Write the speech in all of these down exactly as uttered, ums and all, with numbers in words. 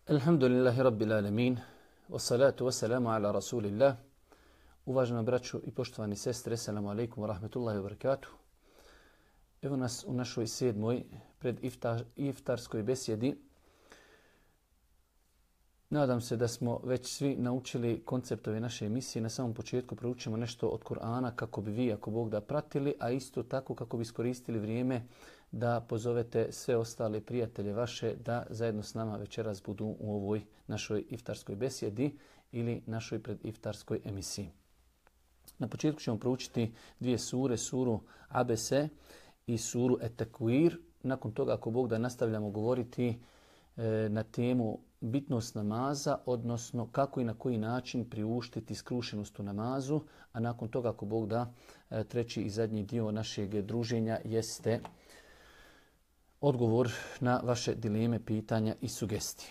Alhamdulillahi Rabbil Alamin, wassalatu wassalamu ala Rasulillah. Uvažena braćo i poštovani sestre, assalamu alaikum wa rahmatullahi wa barakatuh. Evo nas u našoj sedmoj pred iftar, iftarskoj besjedi. Nadam se da smo već svi naučili konceptove naše emisije. Na samom početku proučimo nešto od Kur'ana kako bi vi, ako Bog da, pratili, a isto tako kako bi iskoristili vrijeme da pozovete sve ostale prijatelje vaše da zajedno s nama večeras budu u ovoj našoj iftarskoj besjedi ili našoj prediftarskoj emisiji. Na početku ćemo proučiti dvije sure, suru Abese i suru Et-Takwir. Nakon toga, ako Bog da, nastavljamo govoriti e, na temu bitnost namaza, odnosno kako i na koji način priuštiti skrušenost u namazu, a nakon toga, ako Bog da, e, treći i zadnji dio našeg druženja jeste odgovor na vaše dileme, pitanja i sugestije.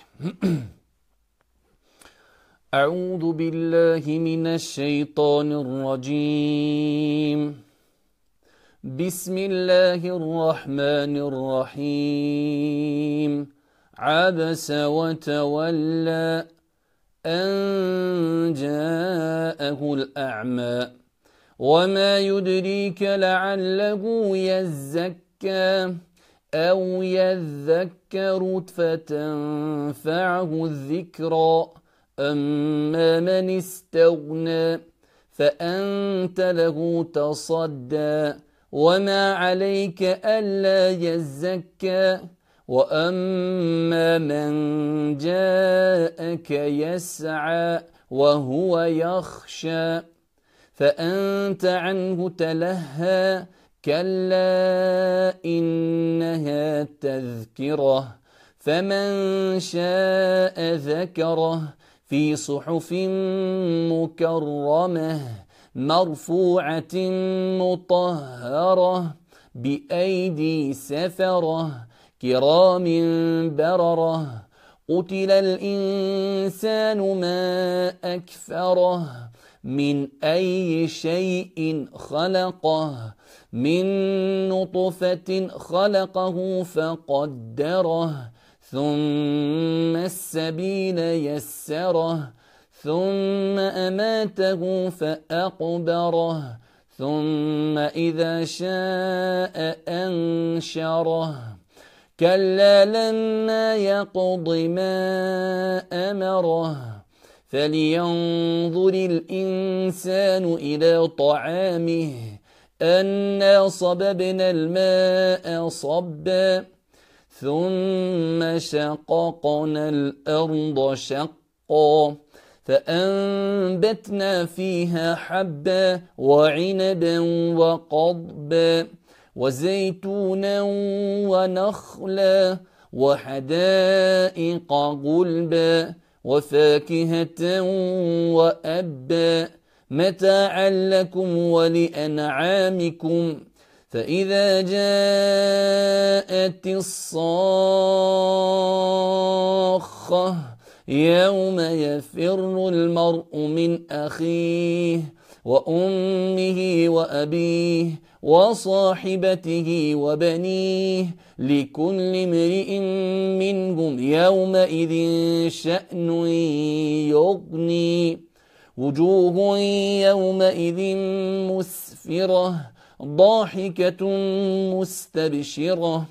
A'udhu billahi minash shaitanir rajim. Bismillahirrahmanirrahim. Abasa wa tawalla an ja'ahu al-a'ma. وما يدريك لعله يزكى أو يذكر فتنفعه الذكرى أما من استغنى فأنت له تصدى وما عليك ألا يزكى وأما من جاءك يسعى وهو يخشى فأنت عنه تلهى كلا إنها تذكرة فمن شاء ذكره في صحف مكرمة مرفوعة مطهرة بأيدي سفرة كرام بررة قتل الإنسان ما أكفره من أي شيء خلقه من نطفة خلقه فقدره ثم السبيل يسره ثم أماته فأقبره ثم إذا شاء أنشره كلا لما يقض ما أمره فلينظر الإنسان إلى طعامه أنا صببنا الماء صبا ثم شققنا الأرض شقا فأنبتنا فيها حبا وعنبا وقضبا وزيتونا ونخلا وحدائق غلبا وفاكهة وأبا متاعا لكم ولأنعامكم فإذا جاءت الصاخة يوم يفر المرء من أخيه وأمه وأبيه وصاحبته وبنيه لكل امرئ منهم يومئذ شأن يغني وجوه يومئذ مسفرة ضاحكة مستبشرة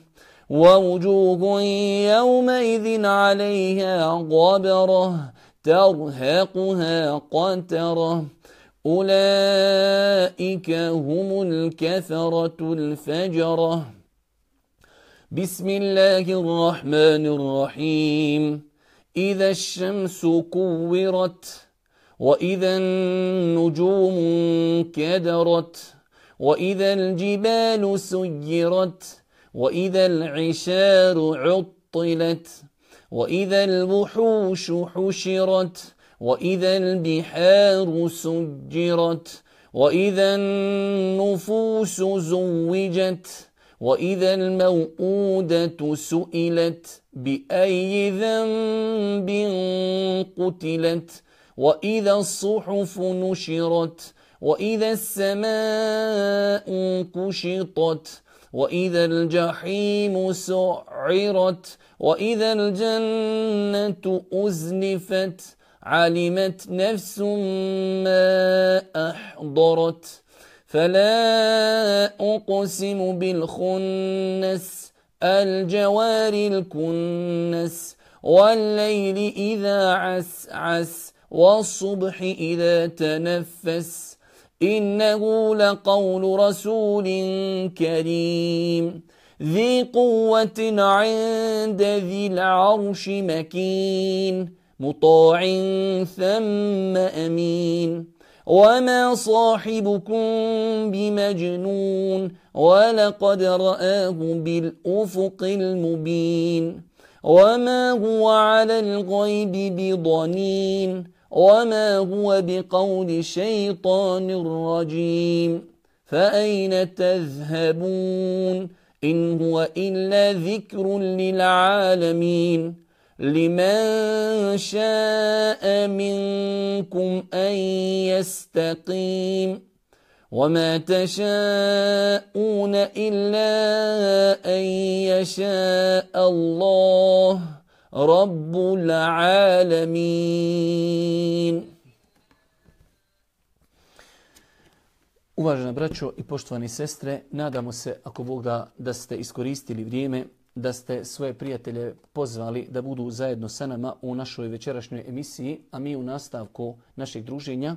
ووجوه يومئذ عليها غبرة ترهقها قترة أولئك هم الكفرة الفجرة بسم الله الرحمن الرحيم إذا الشمس كورت وإذا النجوم كدرت وإذا الجبال سيرت وإذا العشار عطلت وإذا الوحوش حشرت وإذا البحار سجرت وإذا النفوس زوجت وإذا الموءودة سئلت بأي ذنب قتلت وإذا الصحف نشرت وإذا السماء كشطت وإذا الجحيم سعرت وإذا الجنة أزلفت علمت نفس ما أحضرت فلا أقسم بالخنس الجوار الكنس والليل إذا عسعس والصبح إذا تنفس إنه لقول رسول كريم ذي قوة عند ذي العرش مكين مطاع ثم أمين وما صاحبكم بمجنون ولقد رآه بالأفق المبين وما هو على الغيب بضنين وما هو بقول شيطان رجيم فأين تذهبون إن هو إلا ذكر للعالمين لمن شاء منكم أن يستقيم وما تشاءون إلا أن يشاء الله رب العالمين. Uvažena braćo i poštovani sestre, nadamo se, ako Bog da, da ste iskoristili vrijeme, da ste svoje prijatelje pozvali da budu zajedno sa nama u našoj večerašnjoj emisiji, a mi u nastavku našeg druženja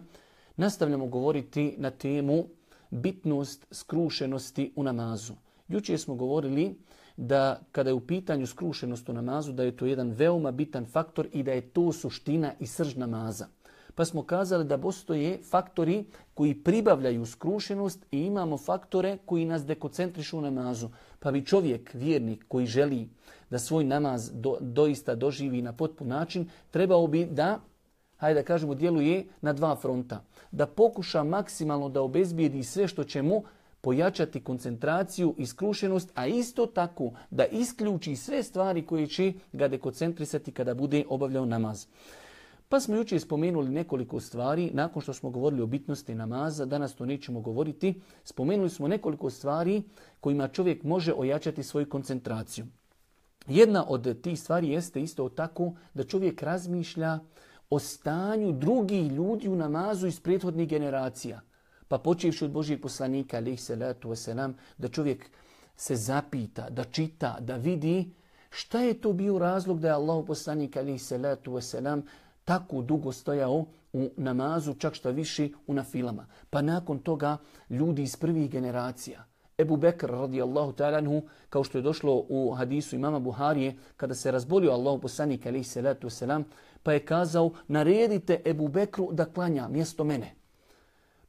nastavljamo govoriti na temu bitnost skrušenosti u namazu. Jučer smo govorili da kada je u pitanju skrušenost u namazu, da je to jedan veoma bitan faktor i da je to suština i srž namaza. Pa smo kazali da postoje faktori koji pribavljaju skrušenost i imamo faktore koji nas dekoncentrišu u namazu. Pa bi čovjek, vjernik koji želi da svoj namaz do, doista doživi na potpun način, trebao bi da, hajde da kažemo, djeluje na dva fronta. Da pokuša maksimalno da obezbijedi sve što će mu pojačati koncentraciju i skrušenost, a isto tako da isključi sve stvari koje će ga dekoncentrisati kada bude obavljao namaz. Pa smo jučer spomenuli nekoliko stvari, nakon što smo govorili o bitnosti namaza, danas to nećemo govoriti, spomenuli smo nekoliko stvari kojima čovjek može ojačati svoju koncentraciju. Jedna od tih stvari jeste isto tako da čovjek razmišlja o stanju drugih ljudi u namazu iz prethodnih generacija. Pa počevši od Božijeg poslanika, alejhi salatu vesselam, da čovjek se zapita, da čita, da vidi šta je to bio razlog da je Allahov poslanik, alejhi salatu vesselam, tako dugo stojao u namazu, čak što više u nafilama. Pa nakon toga ljudi iz prvih generacija. Ebu Bekr radijallahu ta'ala anhu, kao što je došlo u hadisu imama Buharije, kada se razbolio Allahov poslanik alejhi salatu vesselam, pa je kazao: naredite Ebu Bekru da klanja mjesto mene.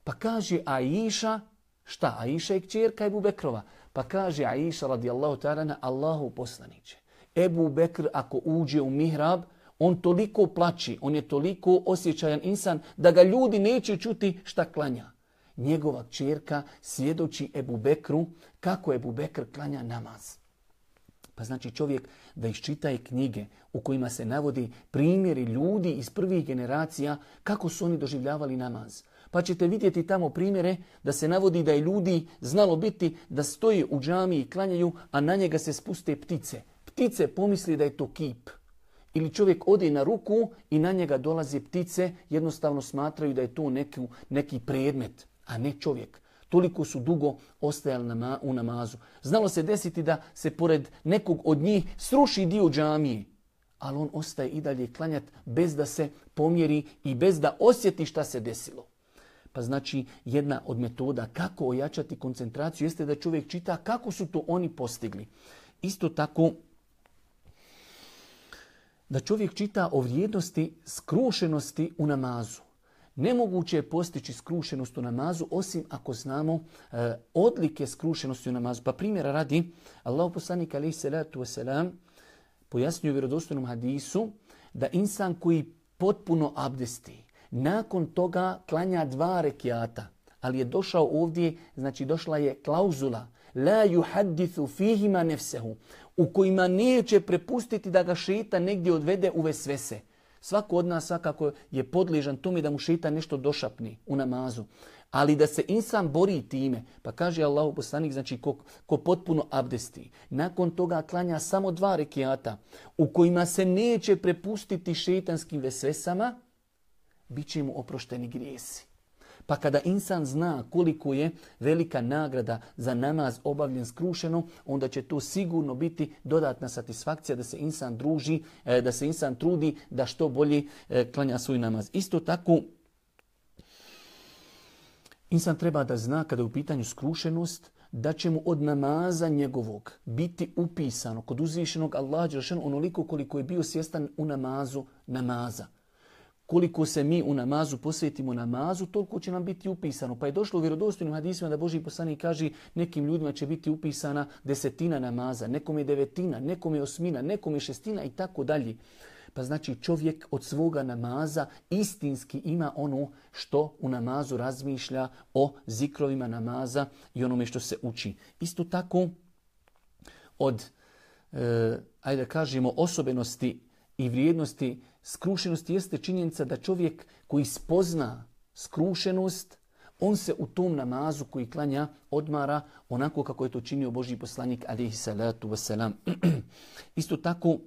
Pa kaže Aisha, šta? Aisha je kćerka Ebu Bekrova. Pa kaže Aisha radijallahu ta'ala anha: Allahov poslaniče, Ebu Bekr ako uđe u mihrab, on toliko plači, on je toliko osjećajan insan da ga ljudi neće čuti šta klanja. Njegova kćerka svjedoči Ebu Bekru kako Ebu Bekr klanja namaz. Pa znači čovjek da iščitaje knjige u kojima se navodi primjeri ljudi iz prvih generacija kako su oni doživljavali namaz. Pa ćete vidjeti tamo primjere da se navodi da je ljudi znalo biti da stoje u džamiji i klanjaju, a na njega se spuste ptice. Ptice pomisli da je to kip. Ili čovjek ode na ruku i na njega dolaze ptice, jednostavno smatraju da je to neki, neki predmet, a ne čovjek. Toliko su dugo ostajali nama, u namazu. Znalo se desiti da se pored nekog od njih sruši dio džamije, ali on ostaje i dalje klanjat bez da se pomjeri i bez da osjeti šta se desilo. Pa znači jedna od metoda kako ojačati koncentraciju jeste da čovjek čita kako su to oni postigli. Isto tako da čovjek čita o vrijednosti skrušenosti u namazu. Nemoguće je postići skrušenost u namazu osim ako znamo e, odlike skrušenosti u namazu. Pa primjera radi, Allahov poslanik alejhi salatu vesselam pojasnio u vjerodostojnom hadisu da insan koji potpuno abdesti, nakon toga klanja dva rekiata, ali je došao ovdje, znači došla je klauzula la yuhaddithu fihima nefsehu, u kojima neće prepustiti da ga šeitan negdje odvede u vesvese. Svako od nas svakako je podležan tome da mu šeitan nešto došapni u namazu. Ali da se insan bori time, pa kaže Allahu poslanik, znači ko, ko potpuno abdesti, nakon toga klanja samo dva rekiata u kojima se neće prepustiti šejtanskim vesvesama, bit će mu oprošteni grijesi. Pa kada insan zna koliko je velika nagrada za namaz obavljen skrušeno, onda će to sigurno biti dodatna satisfakcija da se insan druži, da se insan trudi da što bolje klanja svoj namaz. Isto tako, insan treba da zna kada je u pitanju skrušenost, da će mu od namaza njegovog biti upisano kod uzvišenog Allaha dželešanu onoliko koliko je bio svjestan u namazu namaza. Koliko se mi u namazu posvetimo namazu, toliko će nam biti upisano. Pa je došlo u vjerodostojnim hadisima da Božji poslanik kaže nekim ljudima će biti upisana desetina namaza, nekom je devetina, nekom je osmina, nekom je šestina i tako dalje. Pa znači čovjek od svoga namaza istinski ima ono što u namazu razmišlja o zikrovima namaza i onome što se uči. Isto tako od, e, ajde da kažemo, osobenosti i vrijednosti skrušenosti jeste činjenica da čovjek koji spozna skrušenost, on se u tom namazu koji klanja odmara onako kako je to činio Božji poslanik alejhi salatu vesselam. Isto tako,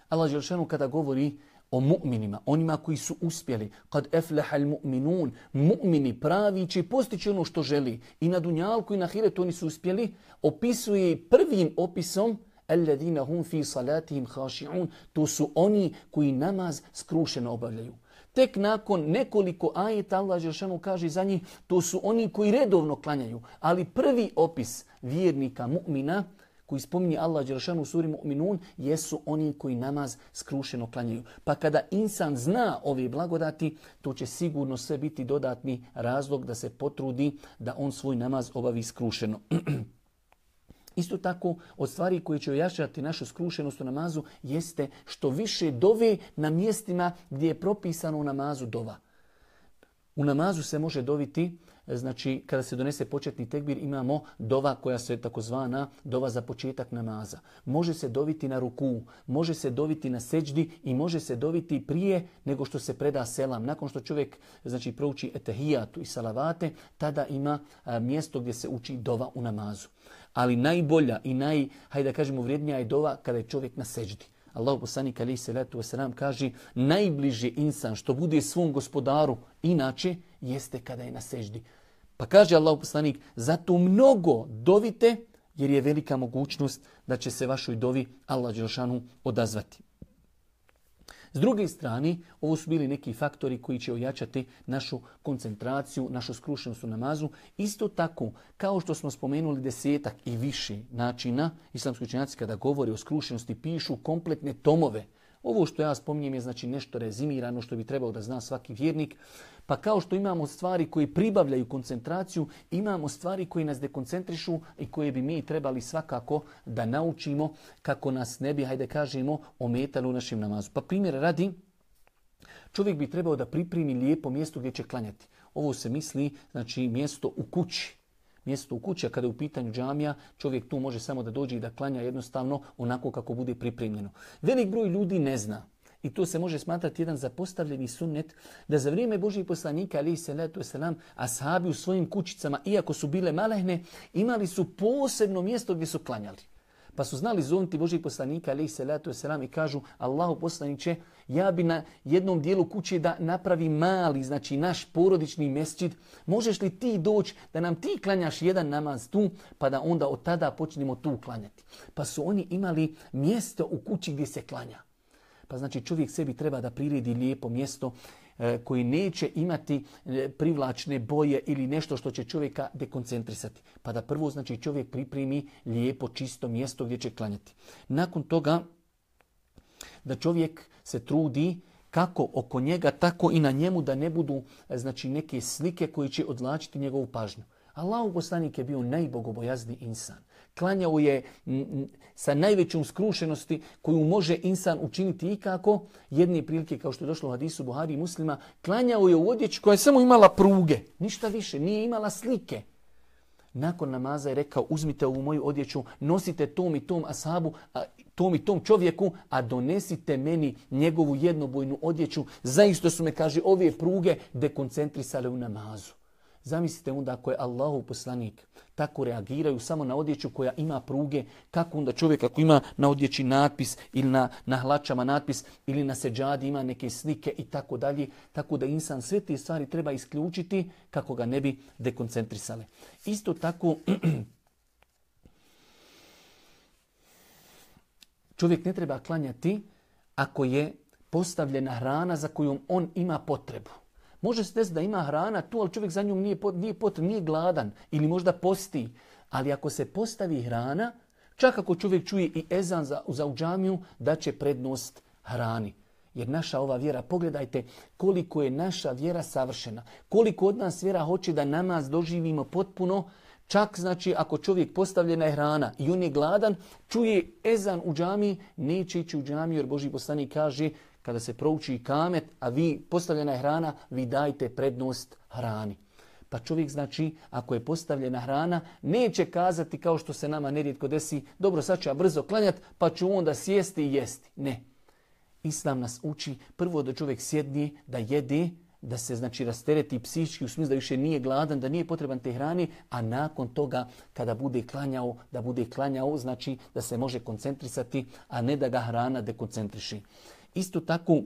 Allah dželešanu kada govori o mu'minima, onima koji su uspjeli, kad eflehal mu'minun, mu'mini pravi će postići ono što želi. I na dunjalku i na ahiretu oni su uspjeli, opisuje prvim opisom alladhina hum fi salatihim khashi'un, to su oni koji namaz skrušeno obavljaju. Tek nakon nekoliko ajeta Allah dželešanu kaže za njih, to su oni koji redovno klanjaju. Ali prvi opis vjernika mu'mina koji spominje Allah dželešanu u suri Mu'minun jesu oni koji namaz skrušeno klanjaju. Pa kada insan zna ove blagodati, to će sigurno sve biti dodatni razlog da se potrudi da on svoj namaz obavi skrušeno. Isto tako, od stvari koje će ojačati našu skrušenost u namazu jeste što više dove na mjestima gdje je propisano u namazu dova. U namazu se može doviti, znači kada se donese početni tekbir imamo dova koja se takozvana dova za početak namaza. Može se doviti na ruku, može se doviti na seđdi i može se doviti prije nego što se preda selam. Nakon što čovjek znači prouči etehijatu i salavate, tada ima a, mjesto gdje se uči dova u namazu. Ali najbolja i naj, hajde da kažemo, vrijednija je dova kada je čovjek na seđdi. Allahu poslanik alejhi salatu vesselam kaže najbliži insan što bude svom gospodaru inače jeste kada je na seždi. Pa kaže Allahu poslanik zato mnogo dovite jer je velika mogućnost da će se vašoj dovi Allah dželešanu odazvati. S druge strane, ovo su bili neki faktori koji će ojačati našu koncentraciju, našu skrušenost u namazu. Isto tako, kao što smo spomenuli desetak i više načina, islamski učenjaci kada govori o skrušenosti pišu kompletne tomove. Ovo što ja spominjem je znači nešto rezimirano što bi trebao da zna svaki vjernik. Pa kao što imamo stvari koje pribavljaju koncentraciju, imamo stvari koje nas dekoncentrišu i koje bi mi trebali svakako da naučimo kako nas ne bi, hajde kažemo, ometali u našem namazu. Pa primjer radi, čovjek bi trebao da pripremi lijepo mjesto gdje će klanjati. Ovo se misli, znači mjesto u kući. Mjesto u kući, a kada je u pitanju džamija, čovjek tu može samo da dođe i da klanja jednostavno onako kako bude pripremljeno. Velik broj ljudi ne zna. I to se može smatrati jedan zapostavljeni sunnet da za vrijeme Božjih poslanika alejhi salatu vesselam ashabi u svojim kućicama, iako su bile malehne, imali su posebno mjesto gdje su klanjali. Pa su znali zovnuti Božjih poslanika alejhi salatu vesselam i kažu Allahu poslaniče, ja bi na jednom dijelu kuće da napravi mali, znači naš porodični mesdžid. Možeš li ti doći da nam ti klanjaš jedan namaz tu, pa da onda od tada počnemo tu klanjati. Pa su oni imali mjesto u kući gdje se klanja. Pa znači čovjek sebi treba da priredi lijepo mjesto e, koji neće imati e, privlačne boje ili nešto što će čovjeka dekoncentrisati. Pa da prvo znači čovjek pripremi lijepo čisto mjesto gdje će klanjati. Nakon toga da čovjek se trudi kako oko njega, tako i na njemu da ne budu znači neke slike koje će odvlačiti njegovu pažnju. Allahov poslanik je bio najbogobojazniji insan. Klanjao je sa najvećom skrušenosti koju može insan učiniti ikako. Jedne prilike, kao što je došlo u hadisu Buhari i Muslima, klanjao je u odjeći koja je samo imala pruge. Ništa više, nije imala slike. Nakon namaza je rekao, uzmite ovu moju odjeću, nosite tom i tom ashabu, a, tom i tom čovjeku, a donesite meni njegovu jednobojnu odjeću. Zaista su me, kaže, ove pruge dekoncentrisale u namazu. Zamislite onda ako je Allahov poslanik tako reagiraju samo na odjeću koja ima pruge, kako onda čovjek ako ima na odjeći natpis ili na, na hlačama natpis ili na seđadi ima neke slike i tako dalje. Tako da insan sve te stvari treba isključiti kako ga ne bi dekoncentrisale. Isto tako čovjek ne treba klanjati ako je postavljena hrana za koju on ima potrebu. Može se desiti da ima hrana tu, ali čovjek za njom nije, nije potreban, nije gladan ili možda posti. Ali ako se postavi hrana, čak ako čovjek čuje i ezan za, za u džamiju, da će prednost hrani. Jer naša ova vjera, pogledajte koliko je naša vjera savršena. Koliko od nas vjera hoće da namaz doživimo potpuno. Čak znači ako čovjek postavljena je hrana i on je gladan, čuje ezan u džamiji, neće ići u džamiju jer Božji poslanik kaže kada se prouči kamet, a vi postavljena je hrana, vi dajte prednost hrani. Pa čovjek znači ako je postavljena hrana, neće kazati kao što se nama nerijetko desi, dobro sad ću ja brzo klanjati pa ću onda sjesti i jesti. Ne. Islam nas uči prvo da čovjek sjedni, da jede, da se znači rastereti psihički u smislu da više nije gladan, da nije potreban te hrani, a nakon toga kada bude klanjao, da bude klanjao, znači da se može koncentrisati, a ne da ga hrana dekoncentriši. Isto tako,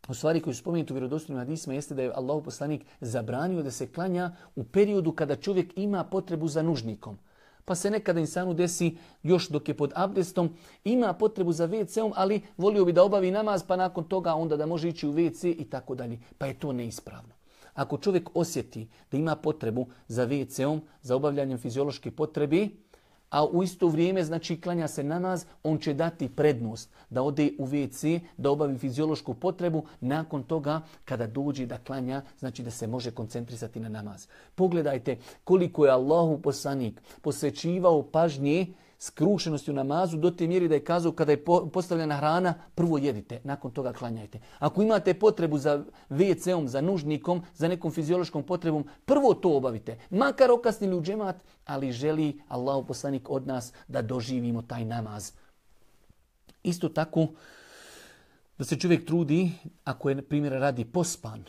u stvari koji su spomenuti u vjerodostojnim hadisima jeste da je Allahov poslanik zabranio da se klanja u periodu kada čovjek ima potrebu za nužnikom. Pa se nekada insanu desi još dok je pod abdestom, ima potrebu za ve ce om, ali volio bi da obavi namaz, pa nakon toga onda da može ići u ve ce i tako dalje. Pa je to neispravno. Ako čovjek osjeti da ima potrebu za ve ce om, za obavljanjem fiziološke potrebe, a u isto vrijeme znači klanja se namaz, on će dati prednost da ode u ve ce, da obavi fiziološku potrebu, nakon toga kada dođe da klanja, znači da se može koncentrisati na namaz. Pogledajte koliko je Allahov poslanik posvećivao pažnje skrušenosti u namazu do te mjeri da je kazao kada je postavljena hrana, prvo jedite, nakon toga klanjajte. Ako imate potrebu za ve ce om, za nužnikom, za nekom fiziološkom potrebom, prvo to obavite. Makar okasnili u džemat, ali želi Allahov poslanik od nas da doživimo taj namaz. Isto tako da se čovjek trudi, ako je primjer radi pospan,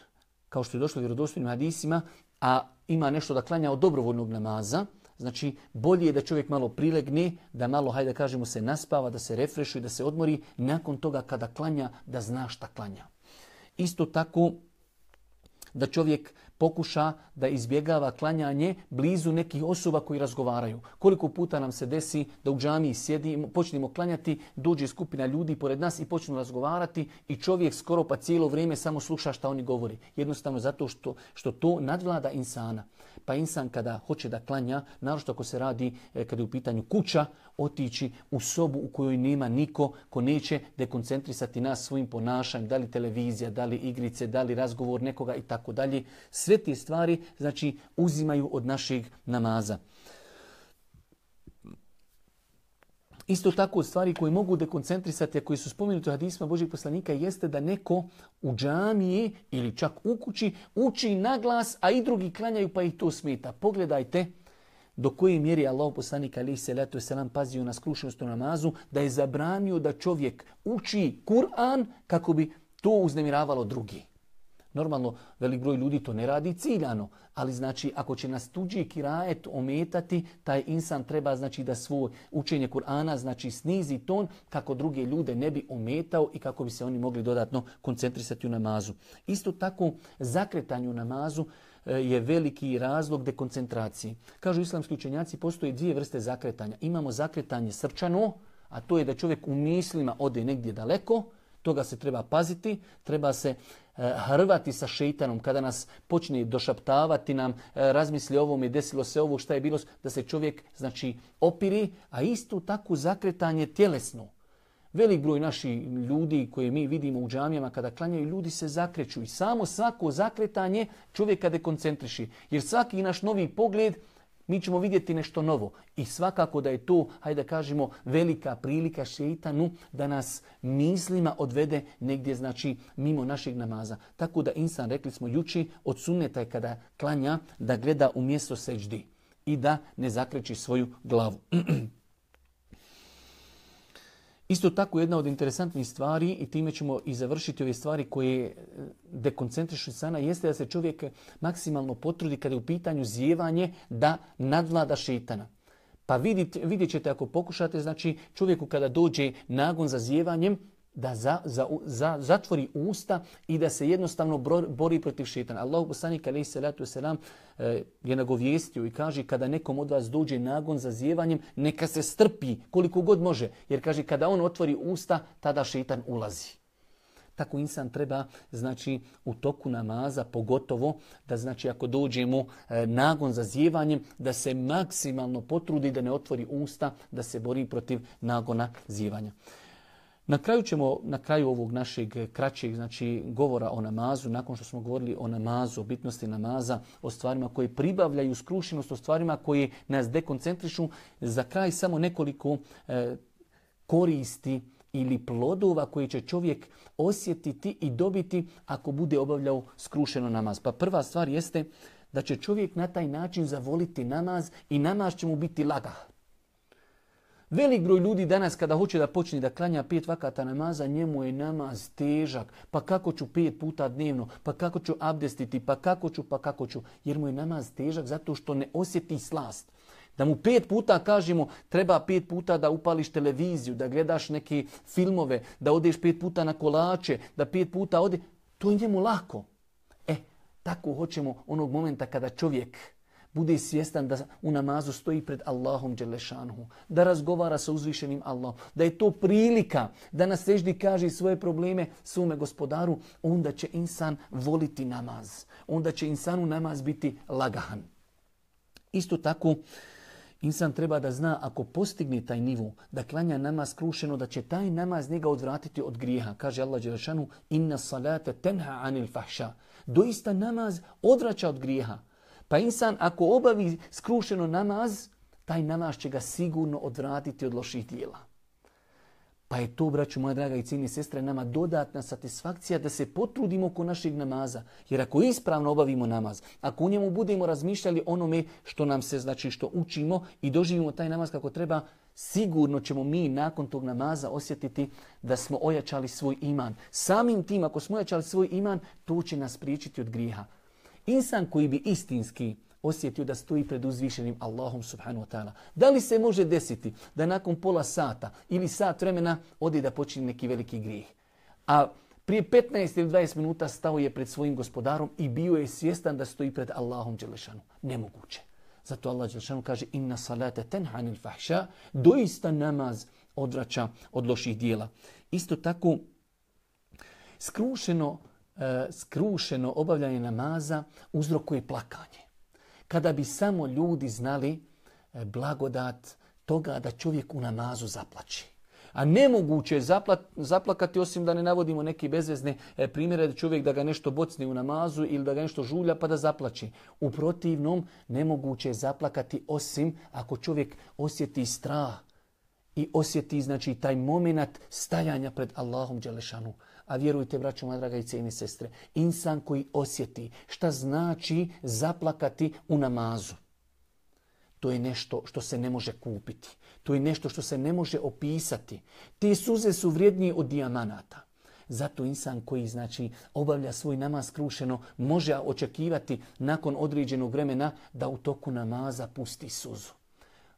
kao što je došlo u vjerodostojnim hadisima, a ima nešto da klanja od dobrovoljnog namaza, znači bolje je da čovjek malo prilegne, da malo, hajde da kažemo, se naspava, da se refrešuje, da se odmori, nakon toga kada klanja, da zna šta klanja. Isto tako da čovjek pokuša da izbjegava klanjanje blizu nekih osoba koji razgovaraju. Koliko puta nam se desi da u džamiji sjedi, počnemo klanjati, dođe skupina ljudi pored nas i počnu razgovarati i čovjek skoro pa cijelo vrijeme samo sluša šta oni govori. Jednostavno zato što, što to nadvlada insana. Pa insan kada hoće da klanja, naročito ako se radi, kada je u pitanju kuća, otići u sobu u kojoj nema niko ko neće dekoncentrisati nas svojim ponašanjem, da li televizija, da li igrice, da li razgovor nekoga i tako dalje. Sve te stvari znači uzimaju od našeg namaza. Isto tako od stvari koje mogu dekoncentrisati, a koji su spomenuti u hadisima Božjeg poslanika, jeste da neko u džamiji ili čak u kući uči na glas, a i drugi klanjaju pa ih to smeta. Pogledajte do koje mjeri Allahov poslanik alejhi selatu vesselam pazio na skrušenost u namazu, da je zabranio da čovjek uči Kur'an kako bi to uznemiravalo drugi. Normalno, velik broj ljudi to ne radi ciljano, ali znači ako će nas tuđi kirajet ometati, taj insan treba znači da svoje učenje Kur'ana znači snizi ton kako druge ljude ne bi ometao i kako bi se oni mogli dodatno koncentrisati u namazu. Isto tako, zakretanje u namazu je veliki razlog dekoncentracije. Kažu islamski učenjaci, postoje dvije vrste zakretanja. Imamo zakretanje srčano, a to je da čovjek u mislima ode negdje daleko, toga se treba paziti, treba se hrvati sa šejtanom kada nas počne došaptavati nam, razmisli o ovome, desilo se ovo, šta je bilo, da se čovjek znači opiri, a isto tako zakretanje tjelesno. Velik broj naših ljudi koje mi vidimo u džamijama kada klanjaju, ljudi se zakreću i samo svako zakretanje čovjeka dekoncentriši. Jer svaki naš novi pogled mi ćemo vidjeti nešto novo. I svakako da je to, hajde da kažemo, velika prilika šejtanu da nas mislima odvede negdje, znači, mimo našeg namaza. Tako da insan, rekli smo juči, od sunneta je kada klanja da gleda u mjesto seđdi i da ne zakreći svoju glavu. Isto tako jedna od interesantnih stvari, i time ćemo i završiti ove stvari koje dekoncentrišu sana, jeste da se čovjek maksimalno potrudi kada je u pitanju zijevanje da nadvlada šejtana. Pa vidite, vidjet ćete ako pokušate, znači čovjeku kada dođe nagon za zijevanjem, da za, za, za, zatvori usta i da se jednostavno bori protiv šejtana. Allahu poslanik alejhi selatu selam je nagovijestio i kaže kada nekom od vas dođe nagon za zijevanjem, neka se strpi koliko god može. Jer kaže kada on otvori usta, tada šejtan ulazi. Tako insan treba, znači, u toku namaza, pogotovo da, znači, ako dođemo e, nagon za zijevanjem, da se maksimalno potrudi da ne otvori usta, da se bori protiv nagona zijevanja. Na kraju ćemo, na kraju ovog našeg kraćeg, znači, govora o namazu, nakon što smo govorili o namazu, o bitnosti namaza, o stvarima koje pribavljaju skrušenost, o stvarima koje nas dekoncentrišu, za kraj samo nekoliko e, koristi ili plodova koje će čovjek osjetiti i dobiti ako bude obavljao skrušeno namaz. Pa prva stvar jeste da će čovjek na taj način zavoliti namaz i namaz će mu biti lagah. Velik broj ljudi danas kada hoće da počne da klanja pet vakata namaza, njemu je namaz težak. Pa kako ću pet puta dnevno, pa kako ću abdestiti, pa kako ću, pa kako ću. Jer mu je namaz težak zato što ne osjeti slast. Da mu pet puta kažemo treba pet puta da upališ televiziju, da gledaš neke filmove, da odeš pet puta na kolače, da pet puta ode, to je njemu lako. E, tako hoćemo onog momenta kada čovjek bude svjestan da u namazu stoji pred Allahom dželešanuhu, da razgovara sa uzvišenim Allahom, da je to prilika da na seždi kaže svoje probleme svome gospodaru, onda će insan voliti namaz. Onda će insanu namaz biti lagahan. Isto tako, insan treba da zna ako postigne taj nivo da klanja namaz skrušeno, da će taj namaz njega odvratiti od grijeha. Kaže Allah dželešanu: "Inna salata tenha anil fahša." Doista namaz odvraća od grijeha. Pa insan ako obavi skrušeno namaz, taj namaz će ga sigurno odvratiti od loših djela. Pa je to, braću moja draga i cijene sestre, nama dodatna satisfakcija da se potrudimo oko našeg namaza. Jer ako ispravno obavimo namaz, ako u njemu budemo razmišljali onome što nam se, znači što učimo i doživimo taj namaz kako treba, sigurno ćemo mi nakon tog namaza osjetiti da smo ojačali svoj iman. Samim tim, ako smo ojačali svoj iman, to će nas spriječiti od grijeha. Insan koji bi istinski osjetio da stoji pred uzvišenim Allahom subhanahu wa ta'ala. Da li se može desiti da nakon pola sata ili sat vremena ode da počini neki veliki grijeh? A prije petnaest ili dvadeset minuta stao je pred svojim gospodarom i bio je svjestan da stoji pred Allahom dželešanu. Nemoguće. Zato Allah dželešanu kaže: "Inna salata tenha anil fahša." Doista namaz odvraća od loših dijela. Isto tako, skrušeno skrušeno obavljanje namaza uzrokuje plakanje. Kada bi samo ljudi znali blagodat toga da čovjek u namazu zaplači. A nemoguće je zapla, zaplakati osim da ne navodimo neke bezvezne primjere da čovjek da ga nešto bocne u namazu ili da ga nešto žulja pa da zaplači. U protivnom nemoguće je zaplakati osim ako čovjek osjeti strah i osjeti, znači, taj moment stajanja pred Allahom dželešanu. A vjerujte, braćo moja draga i cijene sestre, insan koji osjeti šta znači zaplakati u namazu, to je nešto što se ne može kupiti. To je nešto što se ne može opisati. Te suze su vrijednije od dijamanata. Zato insan koji, znači, obavlja svoj namaz skrušeno može očekivati nakon određenog vremena da u toku namaza pusti suzu.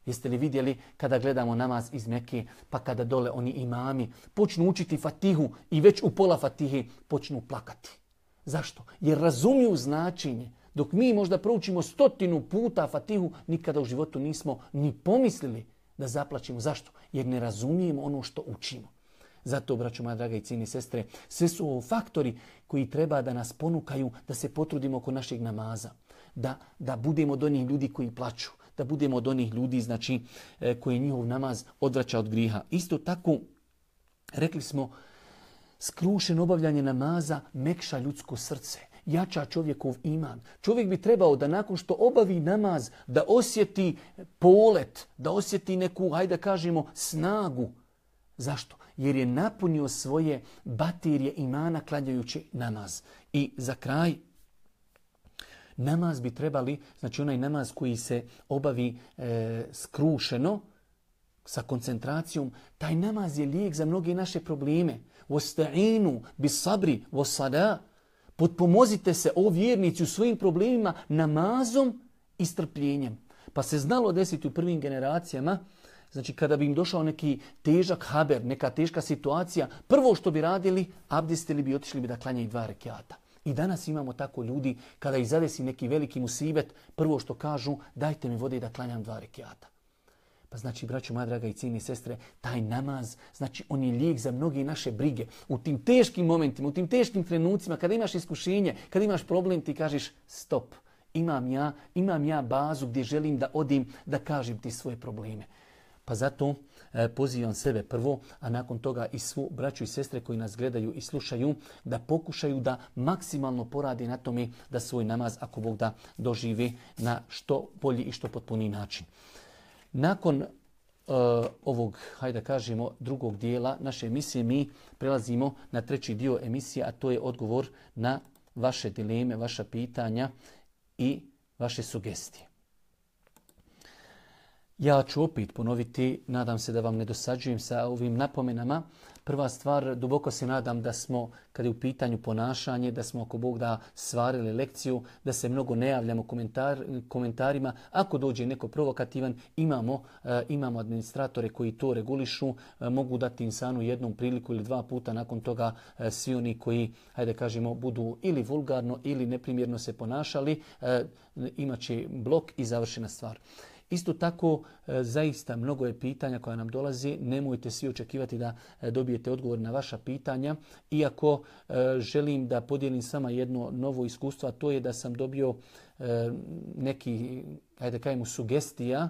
Jeste li vidjeli kada gledamo namaz iz Mekke, pa kada dole oni imami počnu učiti Fatihu i već u pola Fatihe počnu plakati. Zašto? Jer razumiju značenje. Dok mi možda proučimo stotinu puta Fatihu, nikada u životu nismo ni pomislili da zaplačimo. Zašto? Jer ne razumijemo ono što učimo. Zato, braćo moja draga i cijene sestre, sve su ovo faktori koji treba da nas ponukaju da se potrudimo oko našeg namaza. Da, da budemo od onih ljudi koji plaču. Da budemo od onih ljudi, znači, koji njihov namaz odvraća od griha. Isto tako, rekli smo, skrušeno obavljanje namaza mekša ljudsko srce, jača čovjekov iman. Čovjek bi trebao da nakon što obavi namaz, da osjeti polet, da osjeti neku, hajde da kažemo, snagu. Zašto? Jer je napunio svoje baterije imana klanjajući namaz. I za kraj, namaz bi trebali, znači onaj namaz koji se obavi e, skrušeno, sa koncentracijom, taj namaz je lijek za mnoge naše probleme. Wasta'inu bis sabri was salah. Potpomozite se, o vjernici, u svojim problemima namazom i strpljenjem. Pa se znalo desiti u prvim generacijama, znači kada bi im došao neki težak haber, neka teška situacija, prvo što bi radili, abdestili bi, otišli bi da klanjaju dva rekiata. I danas imamo tako ljudi, kada ih zadesi neki veliki musibet, prvo što kažu, dajte mi vode da klanjam dva rekiata. Pa znači, braćo moja draga i cijene sestre, taj namaz, znači on je lijek za mnoge naše brige. U tim teškim momentima, u tim teškim trenucima, kada imaš iskušenje, kada imaš problem, ti kažeš stop. Imam ja, imam ja bazu gdje želim da odim, da kažem ti svoje probleme. Pa zato e, pozivam sebe prvo, a nakon toga i svu braću i sestre koji nas gledaju i slušaju, da pokušaju da maksimalno poradi na tome da svoj namaz, ako Bog da, doživi na što bolji i što potpuniji način. Nakon uh, ovog, hajde da kažemo, drugog dijela naše emisije, mi prelazimo na treći dio emisije, a to je odgovor na vaše dileme, vaša pitanja i vaše sugestije. Ja ću opet ponoviti, nadam se da vam ne dosađujem sa ovim napomenama. Prva stvar, duboko se nadam da smo, kada je u pitanju ponašanje, da smo ako Bog da svarili lekciju, da se mnogo ne javljamo komentar, komentarima. Ako dođe neko provokativan, imamo, e, imamo administratore koji to regulišu, e, mogu dati insanu jednom priliku ili dva puta, nakon toga e, svi oni koji, hajde kažemo, budu ili vulgarno ili neprimjerno se ponašali, e, imat će blok i završena stvar. Isto tako, zaista mnogo je pitanja koja nam dolazi. Nemojte svi očekivati da dobijete odgovor na vaša pitanja. Iako želim da podijelim sama jedno novo iskustvo, a to je da sam dobio neki, hajde kažemo, sugestija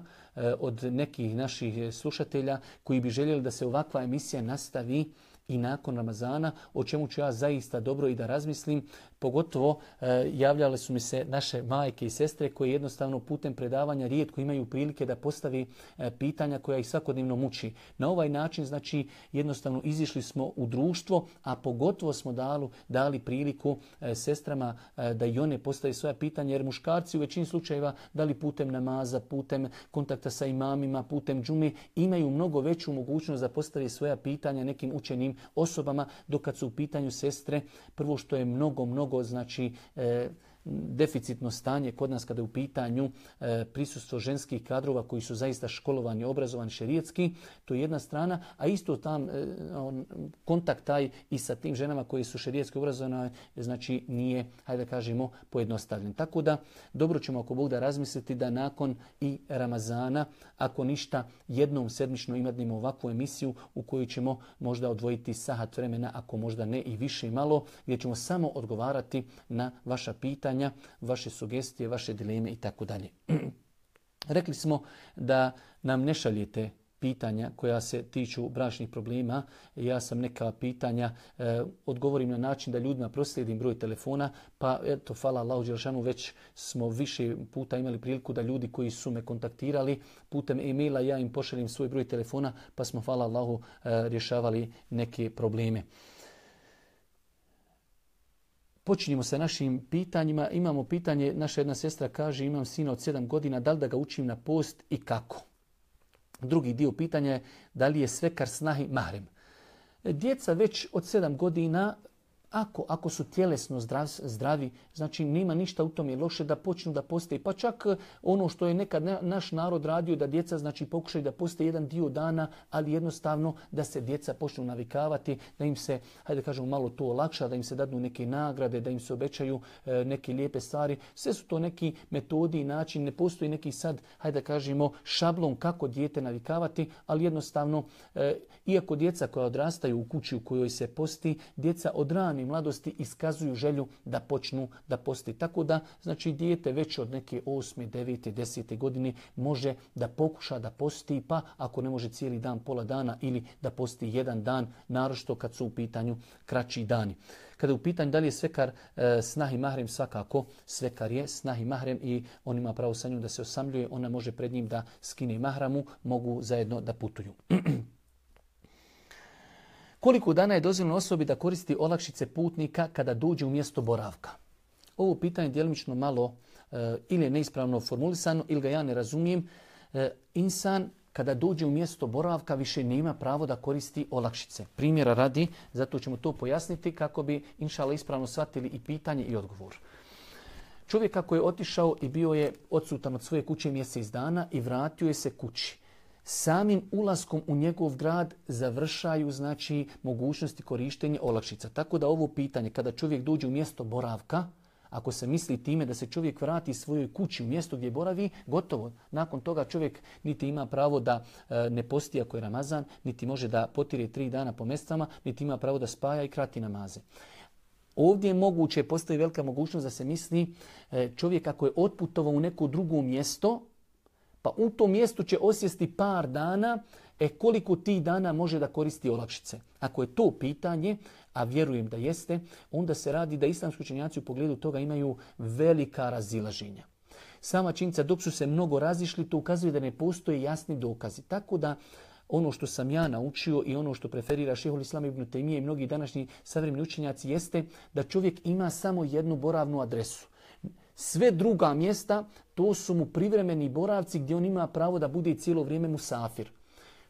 od nekih naših slušatelja koji bi željeli da se ovakva emisija nastavi i nakon Ramazana, o čemu ću ja zaista dobro i da razmislim. Pogotovo e, javljale su mi se naše majke i sestre koje jednostavno putem predavanja rijetko imaju prilike da postavi e, pitanja koja ih svakodnevno muči. Na ovaj način, znači, jednostavno izišli smo u društvo, a pogotovo smo dali, dali priliku e, sestrama e, da i one postave svoja pitanja, jer muškarci u većini slučajeva, da li putem namaza, putem kontakta sa imamima, putem džume, imaju mnogo veću mogućnost da postave svoja pitanja nekim učenim osobama, dok kad su u pitanju sestre, prvo što je mnogo, mnogo znači e, deficitno stanje kod nas kada je u pitanju e, prisustvo ženskih kadrova koji su zaista školovani, obrazovani šerijetski, to je jedna strana, a isto tam e, on, kontakt taj i sa tim ženama koji su šerijetski obrazovane, znači nije, hajde da kažemo, pojednostavljen. Tako da, dobro ćemo ako Bog da razmisliti da nakon i Ramazana, ako ništa, jednom sedmično imamo ovakvu emisiju u kojoj ćemo možda odvojiti sahat vremena, ako možda ne i više i malo, gdje ćemo samo odgovarati na vaša pitanja, vaše sugestije, vaše dileme i tako dalje. Rekli smo da nam ne šaljete pitanja koja se tiču bračnih problema. Ja sam neka pitanja e, odgovorim na način da ljudima proslijedim broj telefona, pa eto, hvala Allahu dželešanu, već smo više puta imali priliku da ljudi koji su me kontaktirali putem e-maila, ja im pošaljem svoj broj telefona, pa smo, hvala Allahu, e, rješavali neke probleme. Počinjemo sa našim pitanjima. Imamo pitanje, naša jedna sestra kaže, imam sina od sedam godina, da li da ga učim na post i kako? Drugi dio pitanja je, da li je svekar snahi mahrem? Djeca već od sedam godina, ako, ako su tjelesno zdrav, zdravi, znači nema ništa u tome loše da počnu da poste. Pa čak ono što je nekad naš narod radio, da djeca znači pokušaju da poste jedan dio dana, ali jednostavno da se djeca počnu navikavati, da im se, hajde da kažemo, malo to olakša, da im se dadnu neke nagrade, da im se obećaju e, neke lijepe stvari. Sve su to neki metodi i način, ne postoji neki sad, hajde da kažemo, šablon kako dijete navikavati, ali jednostavno, e, iako djeca koja odrastaju u kući u kojoj se posti, djeca od rane mladosti iskazuju želju da počnu da posti. Tako da, znači, dijete već od neke osme, devete, desete godine može da pokuša da posti, pa ako ne može cijeli dan, pola dana, ili da posti jedan dan, naročito kad su u pitanju kraći dani. Kada je u pitanju da li je svekar e, snahi mahrem, svakako svekar je snahi mahrem i on ima pravo sa njom da se osamljuje, ona može pred njim da skine mahramu, mogu zajedno da putuju. Koliko dana je dozvoljeno osobi da koristi olakšice putnika kada dođe u mjesto boravka? Ovo pitanje djelimično malo e, ili je neispravno formulisano ili ga ja ne razumijem. E, insan kada dođe u mjesto boravka više nema pravo da koristi olakšice. Primjera radi, zato ćemo to pojasniti kako bi inšala ispravno shvatili i pitanje i odgovor. Čovjek kako je otišao i bio je odsutan od svoje kuće mjesec dana i vratio je se kući. Samim ulaskom u njegov grad završaju znači mogućnosti korištenja olakšica. Tako da ovo pitanje kada čovjek dođe u mjesto boravka, ako se misli time da se čovjek vrati svojoj kući u mjesto gdje boravi, gotovo. Nakon toga čovjek niti ima pravo da e, ne posti ako je Ramazan, niti može da potire tri dana po mjesecama, niti ima pravo da spaja i krati namaze. Ovdje je moguće, postoji velika mogućnost da se misli e, čovjek ako je otputovao u neko drugo mjesto, pa u tom mjestu će osjesti par dana, e koliko tih dana može da koristi olakšice. Ako je to pitanje, a vjerujem da jeste, onda se radi da islamski učenjaci u pogledu toga imaju velika razilaženja. Sama činjenica dok su se mnogo razišli, to ukazuje da ne postoje jasni dokazi. Tako da ono što sam ja naučio i ono što preferira Šejhul Islam ibn Tejmije i mnogi današnji savremeni učenjaci jeste da čovjek ima samo jednu boravnu adresu. Sve druga mjesta, to su mu privremeni boravci gdje on ima pravo da bude cijelo vrijeme musafir.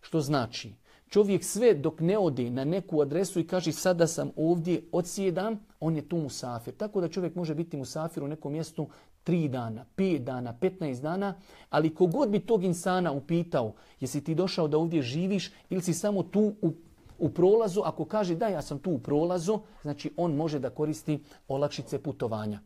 Što znači, čovjek sve dok ne ode na neku adresu i kaže sada sam ovdje, odsjedam, on je tu musafir. Tako da čovjek može biti musafir u nekom mjestu tri dana, pet dana, petnaest dana, ali kogod bi tog insana upitao, jesi ti došao da ovdje živiš ili si samo tu u, u prolazu, ako kaže da ja sam tu u prolazu, znači on može da koristi olakšice putovanja.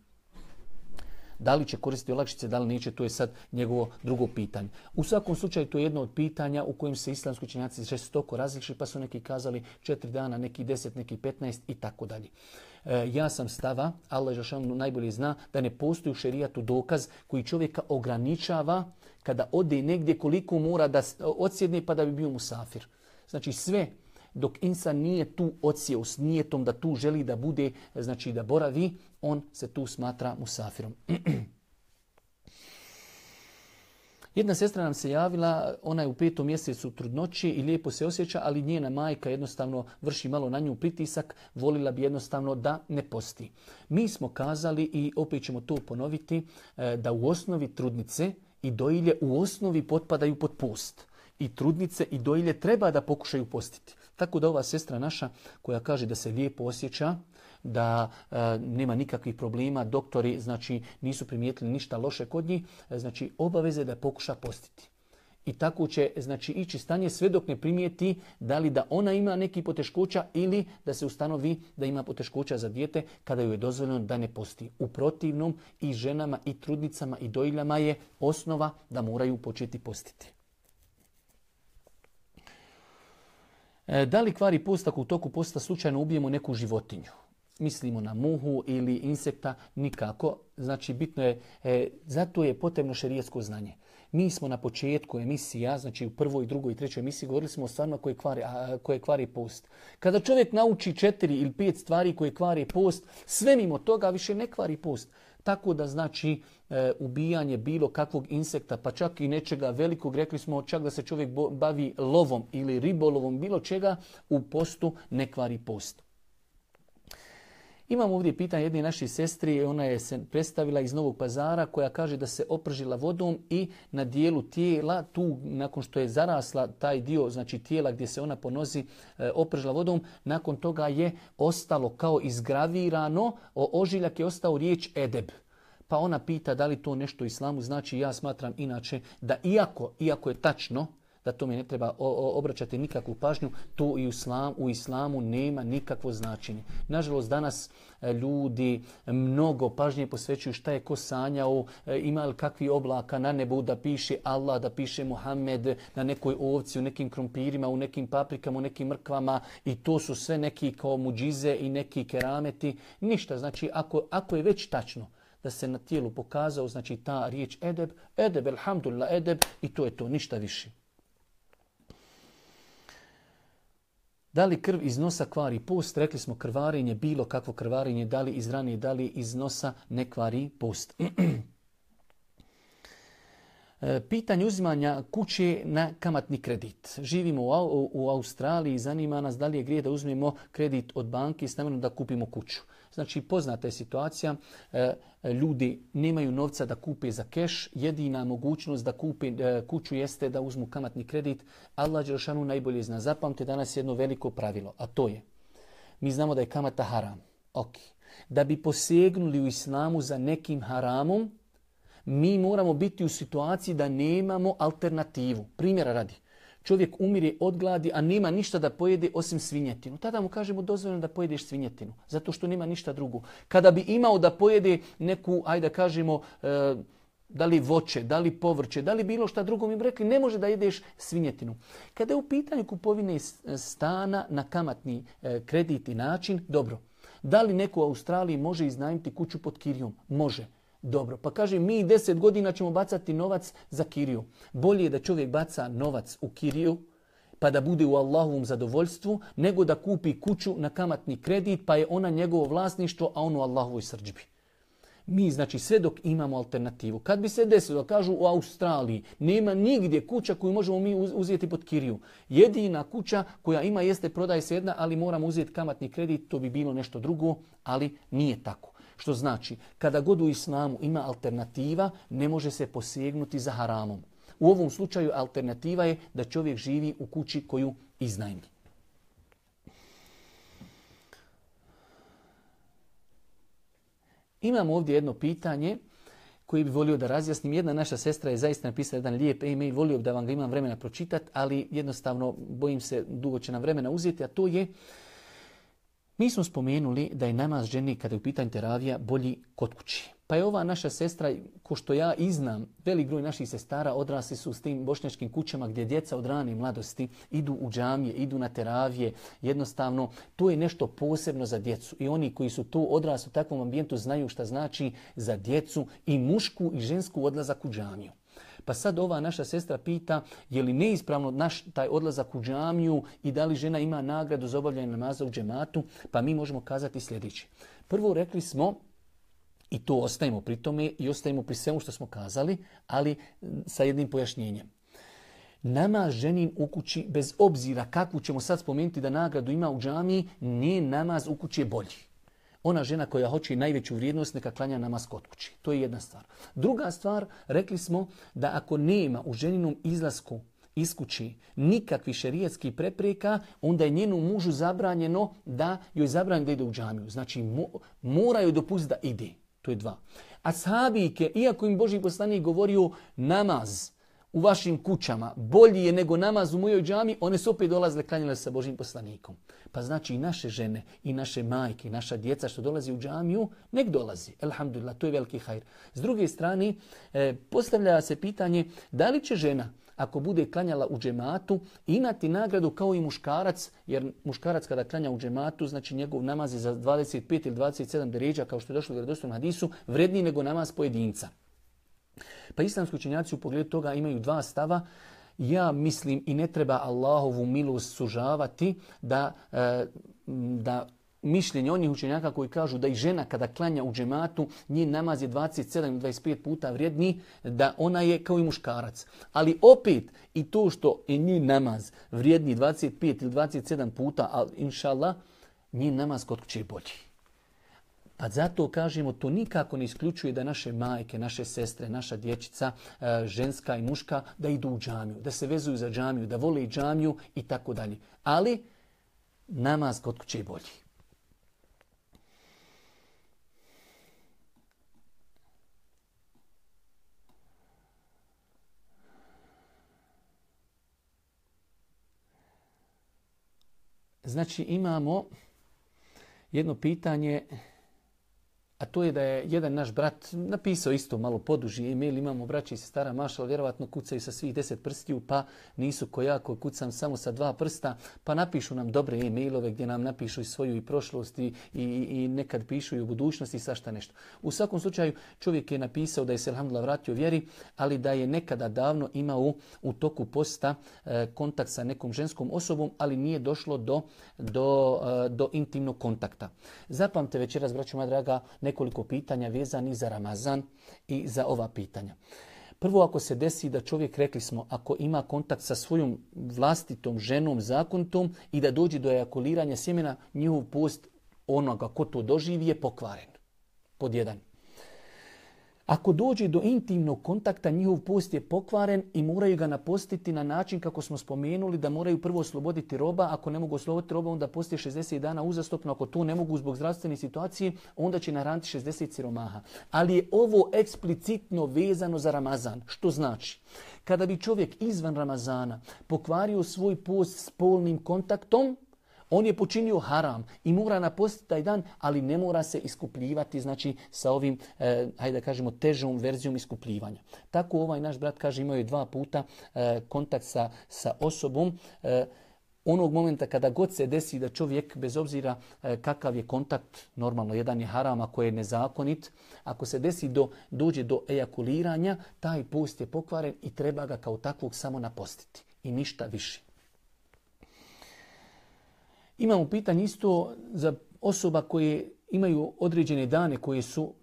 Da li će koristiti olakšice, da li neće, to je sad njegovo drugo pitanje. U svakom slučaju to je jedno od pitanja u kojem se islamski učenjaci žestoko različili, pa su neki kazali četiri dana, neki deset, neki petnaest i tako dalje. E, ja sam stava, Allah dželešanu najbolje zna, da ne postoji u šerijatu dokaz koji čovjeka ograničava kada ode negdje koliko mora da odsjedne pa da bi bio musafir. Znači sve dok insan nije tu odsjeo s nijetom da tu želi da bude, znači da boravi, on se tu smatra musafirom. Jedna sestra nam se javila, ona je u petom mjesecu trudnoći i lijepo se osjeća, ali njena majka jednostavno vrši malo na nju pritisak, volila bi jednostavno da ne posti. Mi smo kazali i opet ćemo to ponoviti, da u osnovi trudnice i dojilje u osnovi potpadaju pod post. I trudnice i dojilje treba da pokušaju postiti. Tako da ova sestra naša koja kaže da se lijepo osjeća, da e, nema nikakvih problema, doktori znači nisu primijetili ništa loše kod njih, znači obaveze da pokuša postiti. I tako će znači ići stanje sve dok ne primijeti da li da ona ima neki poteškoća ili da se ustanovi da ima poteškoća za dijete kada joj je dozvoljeno da ne posti. U protivnom i ženama i trudnicama i dojiljama je osnova da moraju početi postiti. Da li kvari post ako u toku posta slučajno ubijemo neku životinju? Mislimo na muhu ili insekta, nikako. Znači bitno je, e, zato je potrebno šerijatsko znanje. Mi smo na početku emisija, znači u prvoj, drugoj i trećoj emisiji govorili smo o stvarima koje kvari, a, koje kvari post. Kada čovjek nauči četiri ili pet stvari koje kvari post, sve mimo toga više ne kvari post. Tako da znači e, ubijanje bilo kakvog insekta, pa čak i nečega velikog, rekli smo čak da se čovjek bavi lovom ili ribolovom, bilo čega, u postu ne kvari post. Imamo ovdje pitanje jedne naše sestri, ona je se predstavila iz Novog Pazara koja kaže da se opržila vodom i na dijelu tijela, tu nakon što je zarasla taj dio znači tijela gdje se ona po nozi e, opržila vodom, nakon toga je ostalo kao izgravirano, o ožiljak je ostao riječ edeb. Pa ona pita da li to nešto u islamu znači, ja smatram inače da iako, iako je tačno, da tome ne treba obraćati nikakvu pažnju, to i u islamu, u islamu nema nikakvo značenje. Nažalost, danas ljudi mnogo pažnje posvećuju šta je ko sanjao, ima li kakvi oblaka na nebu da piše Allah, da piše Muhammed, na nekoj ovci, u nekim krompirima, u nekim paprikama, u nekim mrkvama i to su sve neki kao muđize i neki kerameti. Ništa, znači ako, ako je već tačno da se na tijelu pokazao, znači ta riječ edeb, edeb, elhamdulillah, edeb i to je to, ništa više. Da li krv iz nosa kvari post? Rekli smo krvarenje, bilo kakvo krvarenje, da li iz rane, da li iz nosa ne kvari post. Pitanje uzimanja kuće na kamatni kredit. Živimo u, u Australiji i zanima nas da li je grijeh da uzmemo kredit od banke i s namjerom da kupimo kuću. Znači, poznata je situacija, ljudi nemaju novca da kupe za keš, jedina mogućnost da kupe kuću jeste da uzmu kamatni kredit. Allah dželešanu najbolje zna. Zapamte danas jedno veliko pravilo, a to je, mi znamo da je kamata haram. Ok. Da bi posegnuli u islamu za nekim haramom, mi moramo biti u situaciji da nemamo alternativu. Primjera radi. Čovjek umire od gladi, a nema ništa da pojede osim svinjetinu. Tada mu kažemo dozvoljeno da pojedeš svinjetinu, zato što nema ništa drugo. Kada bi imao da pojede neku, ajde da kažemo, e, da li voće, da li povrće, da li bilo šta drugo, mi bi rekli ne može da jedeš svinjetinu. Kada je u pitanju kupovine stana na kamatni e, kredit i način, dobro. Da li neko u Australiji može iznajmiti kuću pod kirijom? Može. Dobro, pa kaže mi deset godina ćemo bacati novac za kiriju. Bolje je da čovjek baca novac u kiriju pa da bude u Allahovom zadovoljstvu nego da kupi kuću na kamatni kredit pa je ona njegovo vlasništvo, a on u Allahovoj srdžbi. Mi, znači, sve dok imamo alternativu. Kad bi se desilo, kažu u Australiji, nema nigdje kuća koju možemo mi uzeti pod kiriju. Jedina kuća koja ima jeste prodaje se jedna, ali moramo uzeti kamatni kredit, to bi bilo nešto drugo, ali nije tako. Što znači, kada god u islamu ima alternativa, ne može se posegnuti za haramom. U ovom slučaju alternativa je da čovjek živi u kući koju iznajmi. Imamo ovdje jedno pitanje koje bi volio da razjasnim. Jedna naša sestra je zaista napisala jedan lijep e-mail, volio da vam ga imam vremena pročitati, ali jednostavno bojim se dugo će nam vremena uzeti, a to je, mi smo spomenuli da je namaz ženi kada je u pitanju teravija bolji kod kući. Pa je ova naša sestra, ko što ja i znam, velik broj naših sestara odrasli su s tim bošnjačkim kućama gdje djeca od rane mladosti idu u džamije, idu na teravije. Jednostavno, to je nešto posebno za djecu. I oni koji su tu odrasli u takvom ambijentu znaju šta znači za djecu i mušku i žensku odlazak u džamiju. Pa sad ova naša sestra pita je li neispravno naš taj odlazak u džamiju i da li žena ima nagradu za obavljanje namaza u džematu, pa mi možemo kazati sljedeće. Prvo rekli smo, i to ostajemo pri tome i ostajemo pri svemu što smo kazali, ali sa jednim pojašnjenjem. Namaz ženin u kući, bez obzira kakvu ćemo sad spomenuti da nagradu ima u džamiji, nije namaz u kući je bolji. Ona žena koja hoće najveću vrijednost neka klanja namaz kod kući. To je jedna stvar. Druga stvar, rekli smo da ako nema u ženinom izlasku iz kući nikakvih šerijatskih prepreka, onda je njenu mužu zabranjeno da joj zabranjeno da ide u džamiju. Znači mora joj dopustiti da ide. To je dva. Ashabike, iako im Božji poslanik govorio namaz u vašim kućama bolji je nego namaz u mojoj džami, one su opet dolazile klanjale sa Božjim poslanikom. Pa znači i naše žene, i naše majke, i naša djeca što dolazi u džamiju, nek dolazi. Elhamdulillah, to je veliki hajr. S druge strane, eh, postavlja se pitanje da li će žena, ako bude klanjala u džematu, imati nagradu kao i muškarac, jer muškarac kada klanja u džematu, znači njegov namaz je za dvadeset pet ili dvadeset sedam deređa, kao što je došlo u vjerodostojnom hadisu, vredniji nego namaz pojedinca. Pa islamski učenjaci u pogledu toga imaju dva stava. Ja mislim i ne treba Allahovu milost sužavati da, da mišljenje onih učenjaka koji kažu da i žena kada klanja u džematu, njen namaz je dvadeset sedam do dvadeset pet puta vrijedniji, da ona je kao i muškarac. Ali opet i to što je njen namaz vrijedniji dvadeset pet ili dvadeset sedam puta, ali inša Allah, njen namaz kod kuće je bolji. Pa zato kažemo, to nikako ne isključuje da naše majke, naše sestre, naša dječica, ženska i muška, da idu u džamiju, da se vezuju za džamiju, da vole i džamiju i tako dalje. Ali namaz kod kuće je bolji. Znači imamo jedno pitanje, a to je da je jedan naš brat napisao isto malo poduži e-mail, imamo braći i sestara mašala, vjerovatno kucaju sa svih deset prstiju, pa nisu ko ja koji kucam samo sa dva prsta, pa napišu nam dobre e-mailove gdje nam napišu i svoju i prošlost i, i, i nekad pišu i u budućnosti i svašta nešto. U svakom slučaju čovjek je napisao da je se alhamdulillah vratio vjeri, ali da je nekada davno imao u, u toku posta e, kontakt sa nekom ženskom osobom, ali nije došlo do, do, e, do intimnog kontakta. Zapamte večeras, braćo moja draga, nekoliko pitanja vezanih za Ramazan i za ova pitanja. Prvo, ako se desi da čovjek, rekli smo, ako ima kontakt sa svojom vlastitom ženom, zakonitom i da dođe do ejakuliranja sjemena, njihov post onoga ko to doživi je pokvaren. Pod jedan. Ako dođe do intimnog kontakta, njihov post je pokvaren i moraju ga napostiti na način kako smo spomenuli da moraju prvo osloboditi roba. Ako ne mogu osloboditi roba, onda posti šezdeset dana uzastopno. Ako to ne mogu zbog zdravstvene situacije, onda će nahraniti šezdeset siromaha. Ali je ovo eksplicitno vezano za Ramazan. Što znači? Kada bi čovjek izvan Ramazana pokvario svoj post spolnim kontaktom, on je počinio haram i mora napostiti taj dan, ali ne mora se iskupljivati, znači sa ovim, eh, hajde da kažemo, težom verzijom iskupljivanja. Tako ovaj naš brat kaže, imao je dva puta eh, kontakt sa, sa osobom. Eh, onog momenta kada god se desi da čovjek, bez obzira eh, kakav je kontakt, normalno jedan je haram ako je nezakonit, ako se desi do, dođe do ejakuliranja, taj post je pokvaren i treba ga kao takvog samo napostiti i ništa više. Imamo pitanje isto za osoba koje imaju određene dane koje su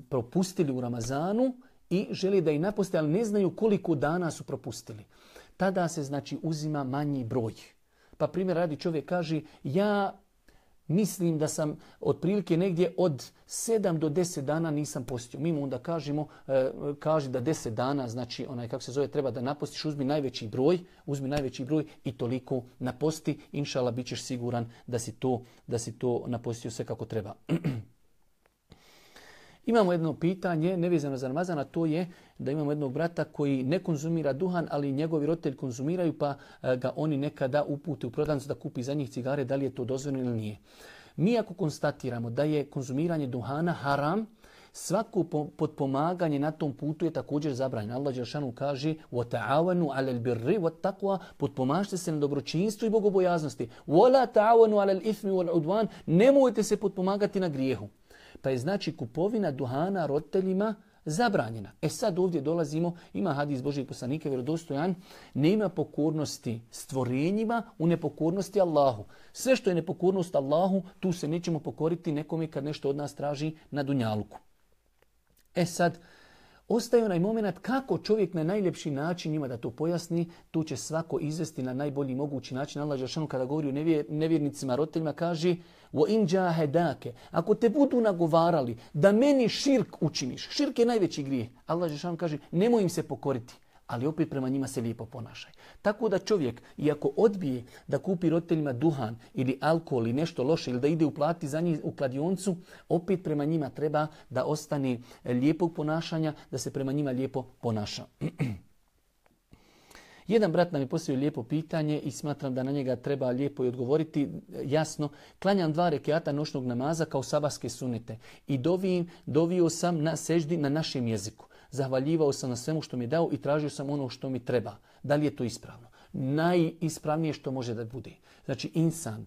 propustili u Ramazanu i žele da ih naposte, ali ne znaju koliko dana su propustili. Tada se znači uzima manji broj. Pa primjer radi, čovjek kaže, ja mislim da sam otprilike negdje od sedam do deset dana nisam postio. Mi mu onda kažemo, e, kaži da deset dana, znači onaj kako se zove, treba da napostiš, uzmi najveći broj, uzmi najveći broj i toliko naposti. Inšala, bit ćeš siguran da si to, da si to napostio sve kako treba. Imamo jedno pitanje, nevezano za Ramazan, a to je da imamo jednog brata koji ne konzumira duhan, ali njegovi roditelji konzumiraju, pa ga oni nekada upute u prodavnicu da kupi za njih cigare, da li je to dozvoljeno ili nije. Mi ako konstatiramo da je konzumiranje duhana haram, svako potpomaganje na tom putu je također zabranjeno. Allah dželešanu kaže: "Wa alal birri wat taqwa", potpomažite se na dobročinstvu i bogobojaznosti. "Wa la ta'awanu alal ithmi wal udwan", nemojte se potpomagati na grijehu. Pa je znači kupovina duhana roditeljima zabranjena. E sad ovdje dolazimo, ima hadis Božijeg poslanika vjerodostojan, nema pokornosti stvorenjima u nepokornosti Allahu. Sve što je nepokornost Allahu, tu se nećemo pokoriti nekome kad nešto od nas traži na dunjaluku. E sad, ostaje onaj moment kako čovjek na najljepši način ima da to pojasni, tu će svako izvesti na najbolji mogući način. Allah dželešanu kada govori o nevjernicima, roditeljima, kaže: وَإِنْ جَاهَدَاكَ, ako te budu nagovarali da meni širk učiniš, širk je najveći grijeh, Allah dželešanu kaže nemoj im se pokoriti, ali opet prema njima se lijepo ponašaj. Tako da čovjek, iako odbije da kupi roditeljima duhan ili alkohol ili nešto loše ili da ide uplati za njih u kladioncu, opet prema njima treba da ostane lijepog ponašanja, da se prema njima lijepo ponaša. Jedan brat nam je postavio lijepo pitanje i smatram da na njega treba lijepo i odgovoriti. Jasno, klanjam dva rekiata noćnog namaza kao sabahske sunete i dovim, dovio sam na seždi na našem jeziku. Zahvaljivao sam na svemu što mi je dao i tražio sam ono što mi treba. Da li je to ispravno? Najispravnije što može da bude. Znači, insan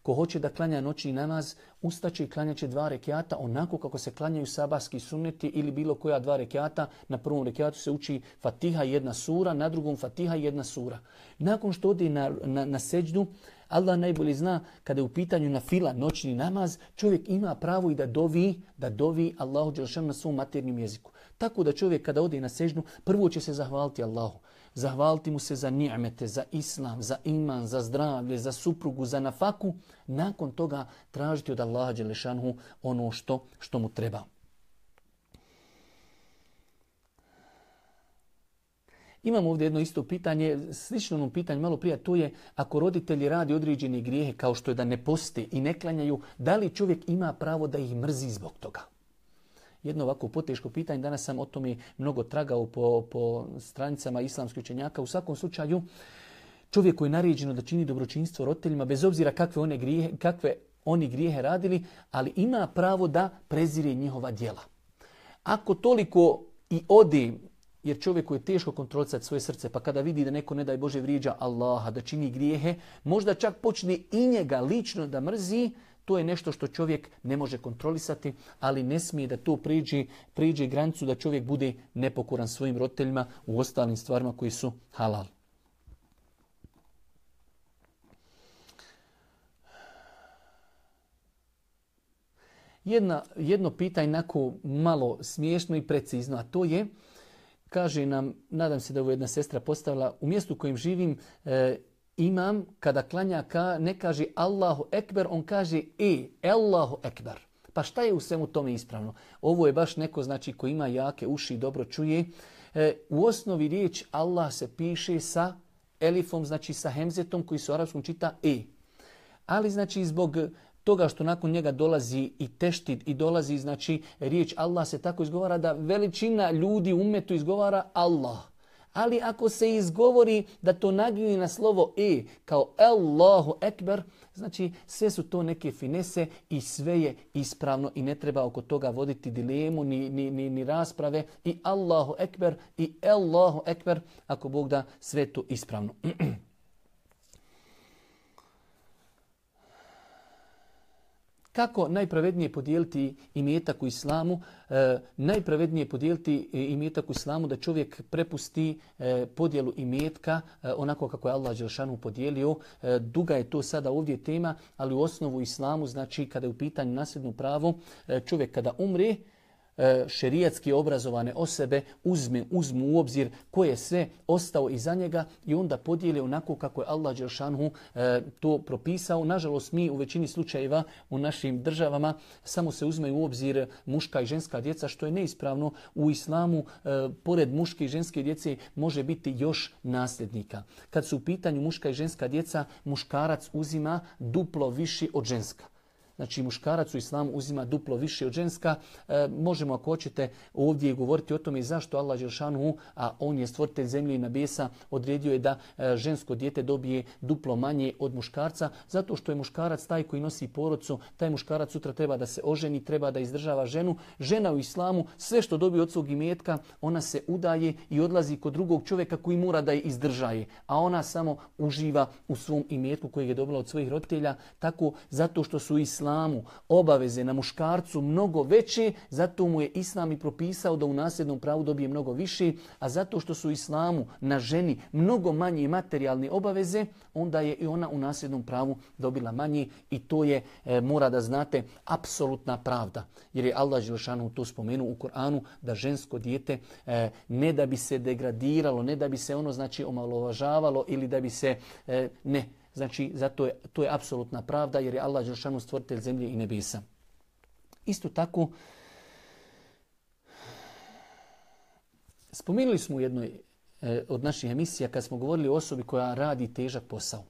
ko hoće da klanja noćni namaz, ustaće i klanjaće dva rekiata onako kako se klanjaju sabahski sunneti ili bilo koja dva rekiata. Na prvom rekiatu se uči Fatiha i jedna sura, na drugom Fatiha i jedna sura. Nakon što ode na, na, na seđdu, Allah najbolje zna kada je u pitanju na fila noćni namaz, čovjek ima pravo i da dovi, da dovi Allahu dželešanu na svom maternjem jeziku. Tako da čovjek kada ode na seždu, prvo će se zahvaliti Allahu. Zahvaliti mu se za ni'mete, za islam, za iman, za zdravlje, za suprugu, za nafaku. Nakon toga tražiti od Allaha dželešanu ono što, što mu treba. Imamo ovdje jedno isto pitanje, slično onom pitanju malo prije, to je ako roditelji radi određene grijehe kao što je da ne poste i ne klanjaju, da li čovjek ima pravo da ih mrzi zbog toga? Jedno ovako poteško pitanje, danas sam o tome mnogo tragao po, po stranicama islamskih učenjaka. U svakom slučaju, čovjeku je naređeno da čini dobročinstvo roditeljima, bez obzira kakve, one grijehe, kakve oni grijehe radili, ali ima pravo da prezire njihova djela. Ako toliko i ode, jer čovjeku je teško kontrolisati svoje srce, pa kada vidi da neko, ne daj Bože, vrijeđa Allaha, da čini grijehe, možda čak počne i njega lično da mrzi, to je nešto što čovjek ne može kontrolisati, ali ne smije da to priđe, priđe granicu da čovjek bude nepokoran svojim roditeljima u ostalim stvarima koji su halal. Jedna, jedno pitanje onako malo smiješno i precizno, a to je kaže nam, nadam se da ovo jedna sestra postavila, u mjestu u kojem živim e, imam, kada klanja ka, ne kaže Allahu Ekber, on kaže e, Allahu Ekber. Pa šta je u svemu tome ispravno? Ovo je baš neko znači ko ima jake uši i dobro čuje. E, u osnovi riječ Allah se piše sa elifom, znači sa hemzetom koji se u arapskom čita e. Ali znači zbog toga što nakon njega dolazi i teštid i dolazi znači riječ Allah se tako izgovara da veličina ljudi u umetu izgovara Allah. Ali ako se izgovori da to naglini na slovo e kao Allahu Ekber, znači sve su to neke finese i sve je ispravno i ne treba oko toga voditi dilemu ni, ni, ni, ni rasprave. I Allahu Ekber i Allahu Ekber, ako Bog da, sve to ispravno. Kako najpravednije podijeliti imetak u islamu? E, najpravednije podijeliti imetak u islamu da čovjek prepusti e, podjelu imetka e, onako kako je Allah dželešanu podijelio. E, duga je to sada ovdje tema, ali u osnovu islamu, znači kada je u pitanju nasljedno pravo, e, čovjek kada umre, šerijatski obrazovane osobe uzme, uzmu u obzir ko je sve ostao iza njega i onda podijeli onako kako je Allah dželešanu e, to propisao. Nažalost, mi u većini slučajeva u našim državama samo se uzmeju u obzir muška i ženska djeca, što je neispravno. U islamu, e, pored muške i ženske djece, može biti još nasljednika. Kad su u pitanju muška i ženska djeca, muškarac uzima duplo viši od ženska. Znači muškarac u islamu uzima duplo više od ženska. E, možemo ako hoćete ovdje govoriti o tome zašto Allah dželešanu, a on je stvoritelj zemlje i nebesa, odredio je da e, žensko dijete dobije duplo manje od muškarca, zato što je muškarac taj koji nosi porodcu, taj muškarac sutra treba da se oženi, treba da izdržava ženu. Žena u islamu sve što dobije od svog imetka, ona se udaje i odlazi kod drugog čovjeka koji mora da je izdržaje, a ona samo uživa u svom imetku kojeg je dobila od svojih roditelja. Tako zato što su islamu obaveze na muškarcu mnogo veće, zato mu je islam i propisao da u nasljednom pravu dobije mnogo više, a zato što su islamu na ženi mnogo manje materijalne obaveze, onda je i ona u nasljednom pravu dobila manje i to je, e, mora da znate, apsolutna pravda. Jer je Allah dželešanu to spomenuo u Koranu da žensko dijete e, ne da bi se degradiralo, ne da bi se ono znači omalovažavalo ili da bi se e, ne Znači, zato je, to je apsolutna pravda jer je Allah dželešanu stvoritelj zemlje i nebesa. Isto tako, spomenuli smo u jednoj e, od naših emisija kad smo govorili o osobi koja radi težak posao.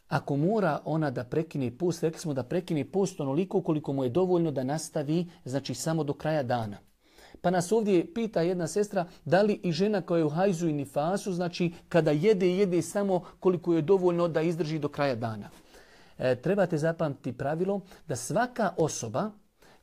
Ako mora ona da prekine post, rekli smo da prekine post onoliko koliko mu je dovoljno da nastavi, znači samo do kraja dana. Pa nas ovdje pita jedna sestra da li i žena koja je u hajzu i nifasu, znači kada jede, jede samo koliko je dovoljno da izdrži do kraja dana. E, trebate zapamtiti pravilo da svaka osoba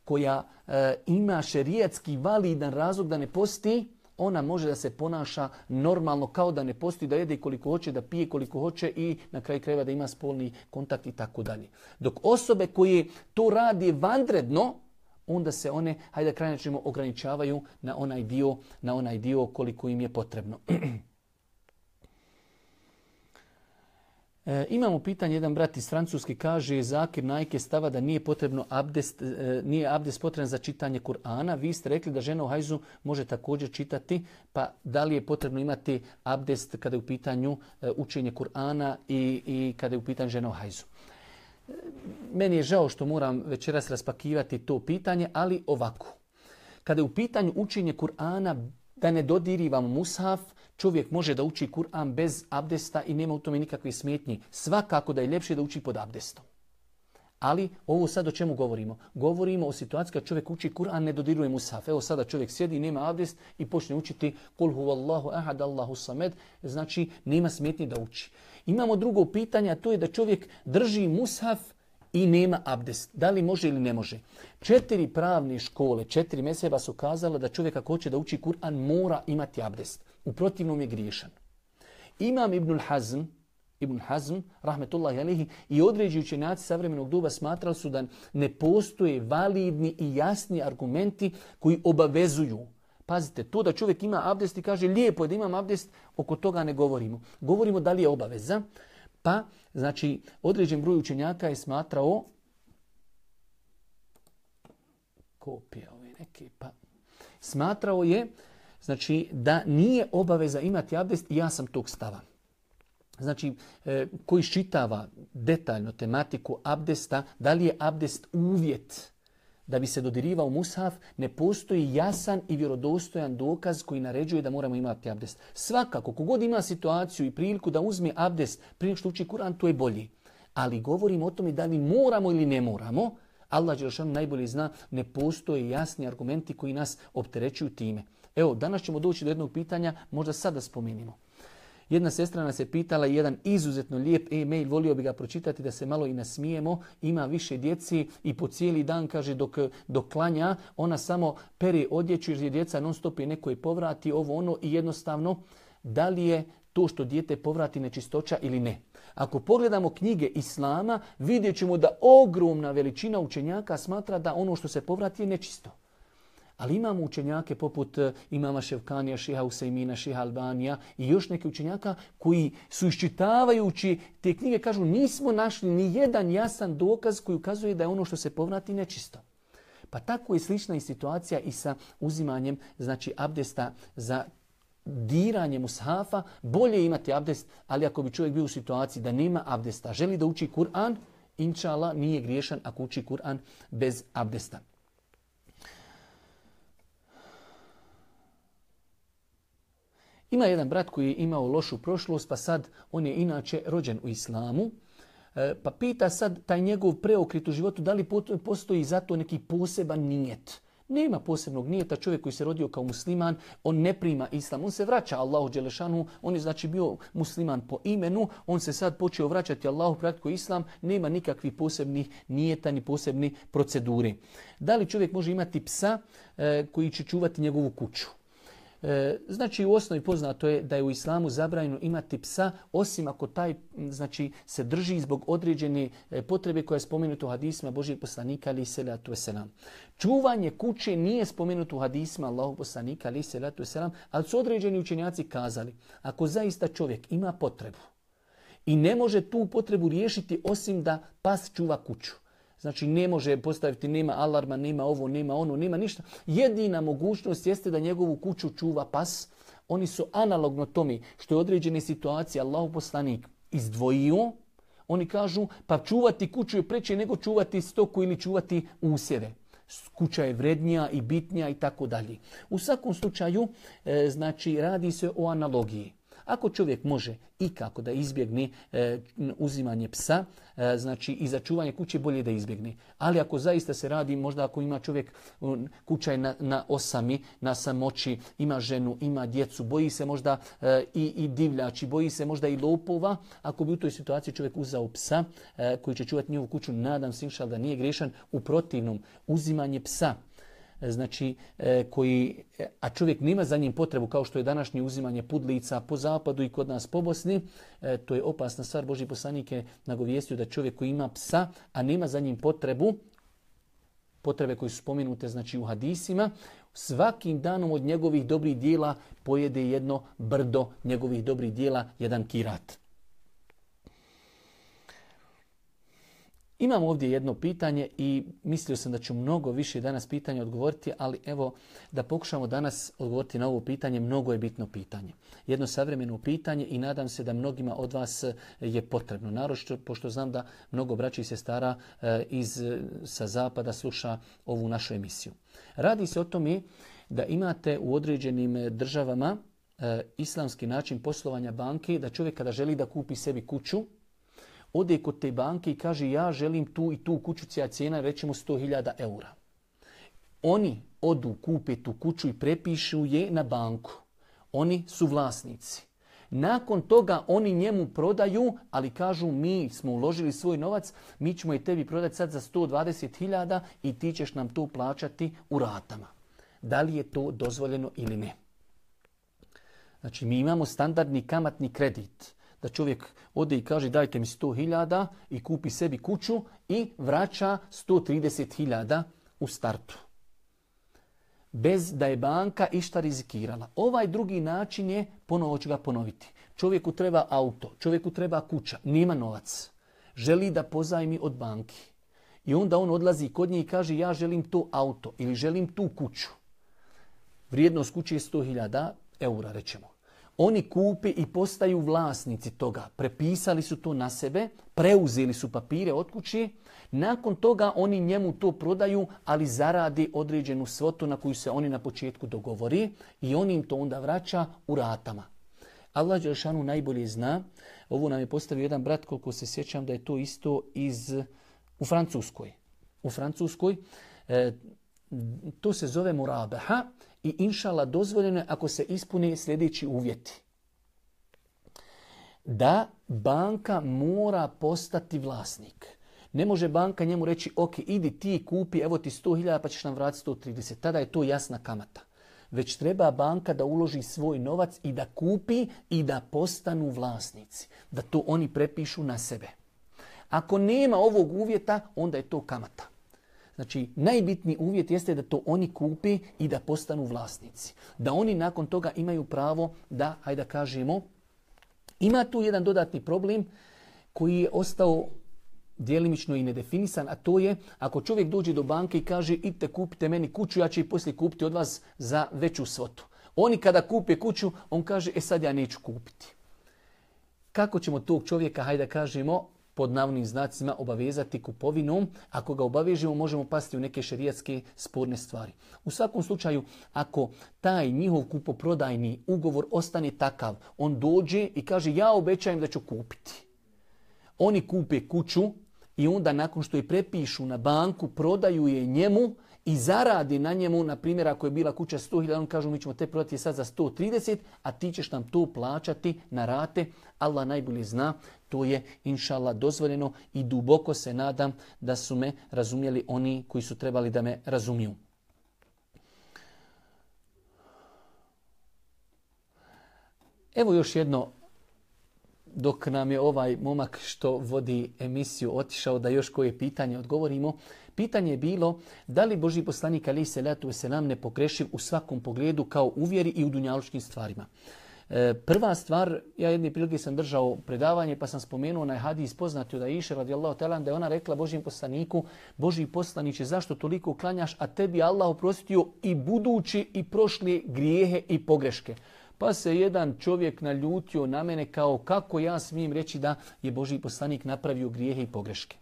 koja e, ima šerijatski validan razlog da ne posti, ona može da se ponaša normalno kao da ne posti, da jede koliko hoće, da pije koliko hoće i na kraju krajeva da ima spolni kontakt i tako dalje. Dok osobe koje to radi vanredno, onda se one, hajde da kraj načinimo, ograničavaju na onaj dio, na onaj dio koliko im je potrebno. E, imamo pitanje, jedan brat iz Francuske kaže, Zakir Najke stava da nije potrebno abdest, e, nije abdest potreban za čitanje Kur'ana. Vi ste rekli da žena u hajzu može također čitati, pa da li je potrebno imati abdest kada je u pitanju e, učenje Kur'ana i, i kada je u pitanju žena u hajzu? Meni je žao što moram večeras raspakivati to pitanje, ali ovako. Kada je u pitanju učenje Kur'ana, da ne dodirivamo mushaf, čovjek može da uči Kur'an bez abdesta i nema u tome nikakve smetnje. Svakako da je ljepše da uči pod abdestom. Ali ovo sad o čemu govorimo? Govorimo o situaciji kad čovjek uči Kur'an, ne dodiruje mushaf. Evo sada čovjek sjedi, nema abdest i počne učiti Kul huvallahu ahad, Allahu samed, znači nema smetnje da uči. Imamo drugo pitanje, a to je da čovjek drži mushaf i nema abdest. Da li može ili ne može? Četiri pravne škole, četiri mezheba su kazala da čovjek ako hoće da uči Kur'an mora imati abdest. U protivnom je griješan. Imam Ibnul Hazm, Ibn Hazm, rahmetullahi alihi, i određeni učenjaci savremenog doba smatrali su da ne postoje validni i jasni argumenti koji obavezuju. Pazite, to da čovjek ima abdest i kaže lijepo je da imam abdest, oko toga ne govorimo. Govorimo da li je obaveza. Pa, znači, određen broj učenjaka je smatrao kopija ove neke, pa smatrao je znači da nije obaveza imati abdest, ja sam tog stava. Znači, e, koji iščitava detaljno tematiku abdesta, da li je abdest uvjet da bi se dodirivao mushaf, ne postoji jasan i vjerodostojan dokaz koji naređuje da moramo imati abdest. Svakako, kogod ima situaciju i priliku da uzme abdest prije što uči Kur'an, to je bolji. Ali govorimo o tome da li moramo ili ne moramo. Allah dželešanu najbolje zna, ne postoje jasni argumenti koji nas opterećuju time. Evo, danas ćemo doći do jednog pitanja, možda sad da spomenimo. Jedna sestra nas je pitala jedan izuzetno lijep e-mail, volio bi ga pročitati da se malo i nasmijemo. Ima više djeci i po cijeli dan, kaže, dok, dok klanja, ona samo pere odjeću jer je djeca non stop i neko je povrati ovo ono i jednostavno da li je to što dijete povrati nečistoća ili ne. Ako pogledamo knjige Islama, vidjet ćemo da ogromna veličina učenjaka smatra da ono što se povrati je nečisto. Ali imamo učenjake poput imama Ševkanija, Šiha Usejmina, Šiha Albanija i još neke učenjaka koji su iščitavajući te knjige kažu nismo našli ni jedan jasan dokaz koji ukazuje da je ono što se povrati nečisto. Pa tako je slična i situacija i sa uzimanjem znači abdesta za diranje mushafa. Bolje imati abdest, ali ako bi čovjek bio u situaciji da nema abdesta, želi da uči Kur'an, inša Allah nije griješan ako uči Kur'an bez abdesta. Ima jedan brat koji je imao lošu prošlost, pa sad on je inače rođen u islamu, pa pita sad taj njegov preokret u životu da li postoji zato neki poseban nijet. Nema posebnog nijeta, čovjek koji se rodio kao musliman, on ne prima islam, on se vraća Allahu dželešanu, on je znači bio musliman po imenu, on se sad počeo vraćati Allahu praktiku islam, nema nikakvih posebnih nijeta ni posebnih proceduri. Da li čovjek može imati psa e, koji će čuvati njegovu kuću? E, znači u osnovi poznato je da je u islamu zabranjeno imati psa osim ako taj znači se drži zbog određene potrebe koja je spomenuta u hadisima Božijeg poslanika alejhi selatu vesselam. Čuvanje kuće nije spomenuto u hadisima Allahovog poslanika alejhi selatu vesselam, ali su određeni učenjaci kazali ako zaista čovjek ima potrebu i ne može tu potrebu riješiti osim da pas čuva kuću. Znači ne može postaviti, nema alarma, nema ovo, nema ono, nema ništa. Jedina mogućnost jeste da njegovu kuću čuva pas. Oni su analogno tome što je određene situacije Allahov poslanik izdvojio. Oni kažu pa čuvati kuću je preče nego čuvati stoku ili čuvati usjeve. Kuća je vrednija i bitnija i tako dalje. U svakom slučaju e, znači radi se o analogiji. Ako čovjek može i kako da izbjegne e, uzimanje psa, e, znači i za čuvanje kuće bolje da izbjegne. Ali ako zaista se radi, možda ako ima čovjek, kuća je na, na osami, na samoći, ima ženu, ima djecu, boji se možda e, i, i divljači, boji se možda i lopova, ako bi u toj situaciji čovjek uzao psa e, koji će čuvati njegovu kuću, nadam se inšal da nije griješan. U protivnom, uzimanje psa, znači koji, a čovjek nema za njim potrebu kao što je današnje uzimanje pudlica po zapadu i kod nas po Bosni, to je opasna stvar. Božji poslanik je nagovijestio da čovjek koji ima psa, a nema za njim potrebu, potrebe koje su spomenute znači u hadisima, svakim danom od njegovih dobrih dijela pojede jedno brdo njegovih dobrih dijela, jedan kirat. Imamo ovdje jedno pitanje i mislio sam da ću mnogo više danas pitanja odgovoriti, ali evo da pokušamo danas odgovoriti na ovo pitanje, mnogo je bitno pitanje. Jedno savremeno pitanje i nadam se da mnogima od vas je potrebno. Naročito pošto znam da mnogo braća i sestara iz, sa zapada sluša ovu našu emisiju. Radi se o tome da imate u određenim državama e, islamski način poslovanja banke, da čovjek kada želi da kupi sebi kuću, ode kod te banke i kaže ja želim tu i tu kuću, cija cijena recimo sto hiljada eura. Oni odu, kupe tu kuću i prepišu je na banku. Oni su vlasnici. Nakon toga oni njemu prodaju, ali kažu mi smo uložili svoj novac, mi ćemo je tebi prodati sad za sto dvadeset hiljada i ti ćeš nam to plaćati u ratama. Da li je to dozvoljeno ili ne? Znači mi imamo standardni kamatni kredit. Da čovjek ode i kaže dajte mi sto hiljada i kupi sebi kuću i vraća sto trideset hiljada u startu. Bez da je banka išta rizikirala. Ovaj drugi način je, ponovo ću ga ponoviti. Čovjeku treba auto, čovjeku treba kuća, nema novac. Želi da pozajmi od banki. I onda on odlazi kod nje i kaže ja želim to auto ili želim tu kuću. vrijednost kuće je sto hiljada eura, rećemo. Oni kupe i postaju vlasnici toga. Prepisali su to na sebe, preuzeli su papire od kuće. Nakon toga oni njemu to prodaju, ali zaradi određenu svotu na koju se oni na početku dogovori i on im to onda vraća u ratama. Allah dželešanu najbolje zna. Ovo nam je postavio jedan brat, koliko se sjećam da je to isto iz, u Francuskoj. U Francuskoj e, to se zove murabaha i inšala dozvoljeno je ako se ispune sljedeći uvjeti. Da banka mora postati vlasnik. Ne može banka njemu reći, ok, idi ti kupi, evo ti sto hiljada pa ćeš nam vratiti sto trideset. Tada je to jasna kamata. Već treba banka da uloži svoj novac i da kupi i da postanu vlasnici. Da to oni prepišu na sebe. Ako nema ovog uvjeta, onda je to kamata. Znači, najbitniji uvjet jeste da to oni kupi i da postanu vlasnici. Da oni nakon toga imaju pravo da, hajde da kažemo, ima tu jedan dodatni problem koji je ostao djelimično i nedefinisan, a to je ako čovjek dođe do banke i kaže idite kupite meni kuću, ja ću i poslije kupiti od vas za veću svotu. Oni kada kupe kuću, on kaže e sad ja neću kupiti. Kako ćemo tog čovjeka, hajde da kažemo, pod navodnim znacima obavezati kupovinom? Ako ga obavežemo, možemo pasti u neke šerijatske sporne stvari. U svakom slučaju, ako taj njihov kupoprodajni ugovor ostane takav, on dođe i kaže ja obećajem da ću kupiti. Oni kupe kuću i onda nakon što je prepišu na banku, prodaju je njemu i zaradi na njemu, na primjer ako je bila kuća sto hiljada, on kažu mi ćemo te prodati sad za sto trideset, a ti ćeš nam to plaćati na rate. Allah najbolje zna, to je inšallah dozvoljeno i duboko se nadam da su me razumjeli oni koji su trebali da me razumiju. Evo još jedno, dok nam je ovaj momak što vodi emisiju otišao da još koje pitanje odgovorimo. Pitanje je bilo da li Božji poslanik alejhi selatu vesselam ne pogrešiv u svakom pogledu kao u vjeri i u dunjalučkim stvarima. E, prva stvar, ja jedne prilike sam držao predavanje pa sam spomenuo onaj hadis poznati od Aiše radijallahu ta'ala da je ona rekla Božjem poslaniku, Božji poslaniče zašto toliko klanjaš, a tebi Allah oprostio i budući i prošli grijehe i pogreške. Pa se jedan čovjek naljutio na mene kao kako ja smijem reći da je Božji poslanik napravio grijehe i pogreške.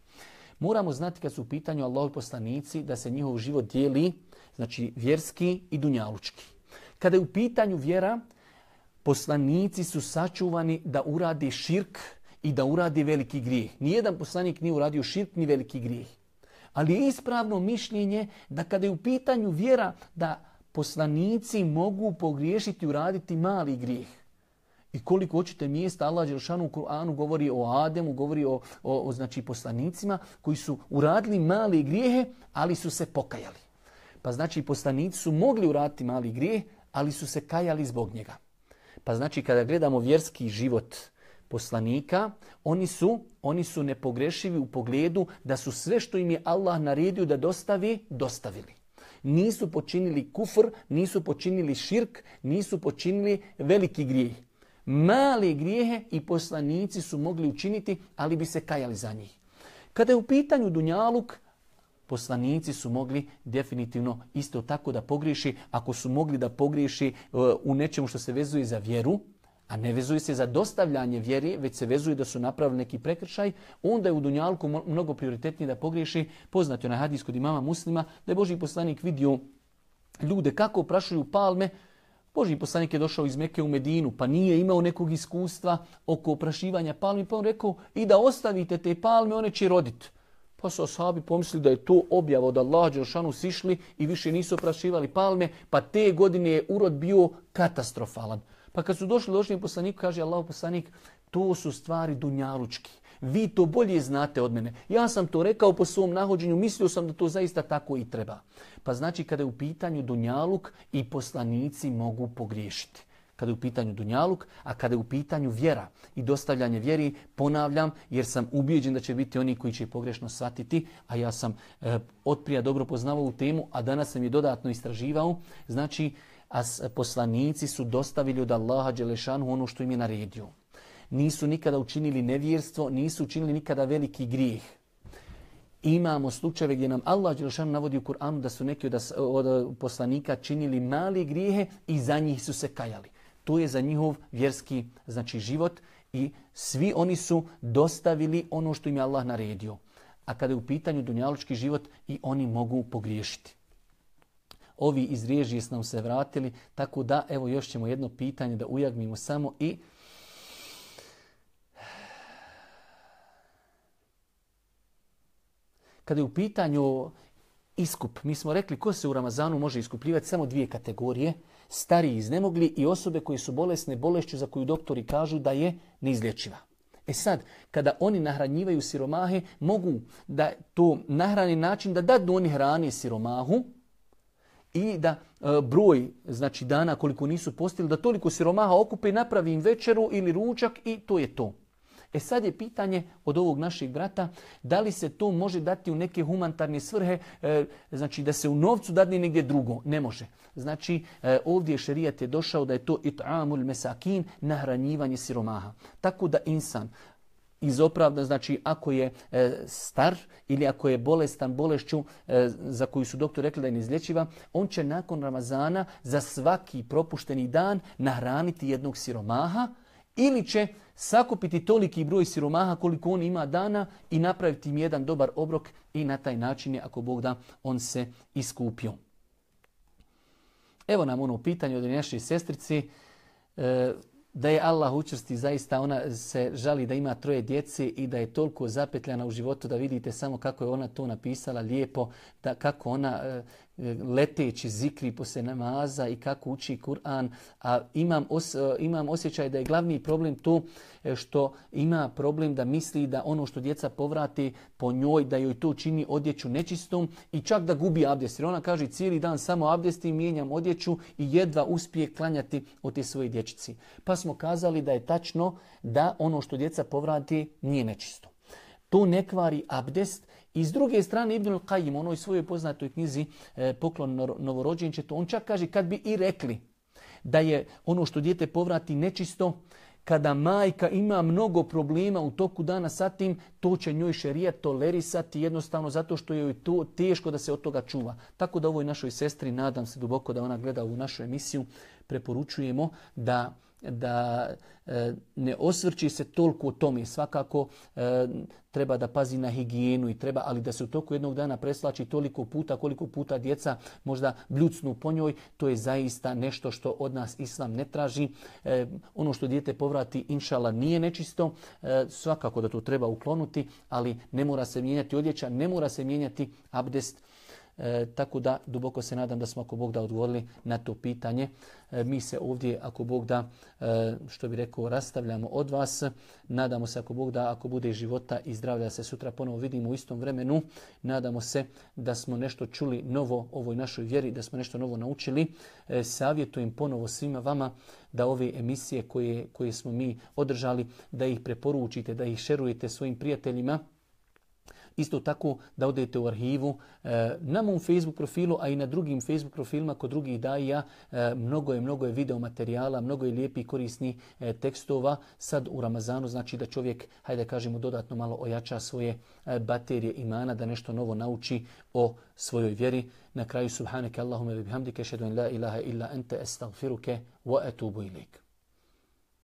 Moramo znati kad su u pitanju Allahovi poslanici da se njihov život dijeli, znači vjerski i dunjalučki. Kada je u pitanju vjera, poslanici su sačuvani da uradi širk i da uradi veliki grijeh. Nijedan poslanik nije uradio širk ni veliki grijeh. Ali je ispravno mišljenje da kada je u pitanju vjera da poslanici mogu pogriješiti i uraditi mali grijeh. I koliko hoćete mjesta Allah dželešanu u Kur'anu govori o Ademu, govori o, o, o znači poslanicima koji su uradili mali grijehe, ali su se pokajali. Pa znači poslanici su mogli uraditi mali grijeh, ali su se kajali zbog njega. Pa znači kada gledamo vjerski život poslanika, oni su, oni su nepogrešivi u pogledu da su sve što im je Allah naredio da dostavi, dostavili. Nisu počinili kufr, nisu počinili širk, nisu počinili veliki grijeh. Male grijehe i poslanici su mogli učiniti, ali bi se kajali za njih. Kada je u pitanju dunjaluk, poslanici su mogli definitivno isto tako da pogriješi. Ako su mogli da pogriješi u nečemu što se vezuje za vjeru, a ne vezuje se za dostavljanje vjeri, već se vezuje da su napravili neki prekršaj, onda je u dunjalku mnogo prioritetnije da pogriješi. Poznati onaj hadis kod imama Muslima, da je Božji poslanik vidio ljude kako oprašuju palme. Božji poslanik je došao iz Mekke u Medinu, pa nije imao nekog iskustva oko oprašivanja palmi, pa on rekao i da ostavite te palme, one će roditi. Pa su ashabi pomislili da je to objava od Allaha dželešanu sišli i više nisu oprašivali palme, pa te godine je urod bio katastrofalan. Pa kad su došli Božjem poslaniku, kaže Allahov poslanik, to su stvari dunjalučki. Vi to bolje znate od mene. Ja sam to rekao po svom nahođenju, mislio sam da to zaista tako i treba. Pa znači kada je u pitanju dunjaluk i poslanici mogu pogriješiti. Kada je u pitanju dunjaluk, a kada je u pitanju vjera i dostavljanje vjeri, ponavljam, jer sam ubijeđen da će biti oni koji će pogrešno shvatiti, a ja sam e, otprije dobro poznavao u temu, a danas sam je dodatno istraživao. Znači, a poslanici su dostavili od Allaha dželešanu ono što im je naredio. Nisu nikada učinili nevjerstvo, nisu učinili nikada veliki grijeh. Imamo slučajeve gdje nam Allah dželešanu navodi u Kur'anu da su neki od, od poslanika činili mali grijehe i za njih su se kajali. To je za njihov vjerski znači život i svi oni su dostavili ono što im je Allah naredio. A kada je u pitanju dunjalučki život i oni mogu pogriješiti. Ovi iz režije su nam se vratili, tako da evo još ćemo jedno pitanje da ujagmimo samo i kada je u pitanju iskup, mi smo rekli ko se u Ramazanu može iskupljivati, samo dvije kategorije, stariji iznemogli i osobe koji su bolesne bolešću za koju doktori kažu da je neizlječiva. E sad, kada oni nahranjivaju siromahe, mogu da to nahrani način da dadnu oni hrani siromahu i da e, broj znači dana koliko nisu postili, da toliko siromaha okupe i napravi im večeru ili ručak i to je to. E sad je pitanje od ovog našeg brata, da li se to može dati u neke humanitarne svrhe, e, znači da se u novcu dadne negdje drugo. Ne može. Znači e, ovdje šerijat je došao da je to it'amul mesakin, nahranjivanje siromaha. Tako da insan iz opravda, znači ako je e, star ili ako je bolestan bolešću e, za koju su doktori rekli da je neizlječiva, on će nakon Ramazana za svaki propušteni dan nahraniti jednog siromaha ili će sakupiti toliki broj siromaha koliko on ima dana i napraviti im jedan dobar obrok i na taj način je, ako Bog da, on se iskupio. Evo nam ono pitanje od naše sestrici, e, da je Allah učvrsti, zaista ona se žali da ima troje djece i da je toliko zapetljana u životu da vidite samo kako je ona to napisala lijepo, da kako ona e, leteći zikri poslije namaza i kako uči Kur'an. A imam, os, imam osjećaj da je glavni problem to što ima problem da misli da ono što djeca povrati po njoj, da joj to čini odjeću nečistom i čak da gubi abdest. Jer ona kaže cijeli dan samo abdestim, mijenjam odjeću i jedva uspije klanjati od te svoje dječici. Pa smo kazali da je tačno da ono što djeca povrati nije nečisto. To ne kvari abdest. I s druge strane Ibnul Qajim, u onoj svojoj poznatoj knjizi e, Poklon novorođenčetu, on čak kaže kad bi i rekli da je ono što dijete povrati nečisto, kada majka ima mnogo problema u toku dana sa tim, to će njoj šerijat tolerisati jednostavno zato što je to teško da se od toga čuva. Tako da ovoj našoj sestri, nadam se duboko da ona gleda u našu emisiju, preporučujemo da da e, ne osvrći se toliko o tome. Svakako e, treba da pazi na higijenu i treba, ali da se u toku jednog dana preslači toliko puta koliko puta djeca možda bljucnu po njoj, to je zaista nešto što od nas Islam ne traži. E, ono što dijete povrati inšala nije nečisto, e, svakako da to treba uklonuti, ali ne mora se mijenjati odjeća, ne mora se mijenjati abdest. E, tako da duboko se nadam da smo ako Bog da odgovorili na to pitanje. E, mi se ovdje ako Bog da, e, što bi rekao, rastavljamo od vas. Nadamo se ako Bog da, ako bude života i zdravlja se sutra ponovo vidimo u istom vremenu. Nadamo se da smo nešto čuli novo o ovoj našoj vjeri, da smo nešto novo naučili. E, savjetujem ponovo svima vama da ove emisije koje, koje smo mi održali, da ih preporučite, da ih šerujete svojim prijateljima. Isto tako da odete u arhivu e, na mom Facebook profilu, a i na drugim Facebook profilima kod drugih daija. E, mnogo je, mnogo je video materijala, mnogo je lijepi i korisni e, tekstova. Sad u Ramazanu znači da čovjek, hajde kažemo, dodatno malo ojača svoje e, baterije imana, da nešto novo nauči o svojoj vjeri. Na kraju subhaneke Allahumma bihamdike, šedu en la ilaha illa ente, estagfiruke wa etubu ilik.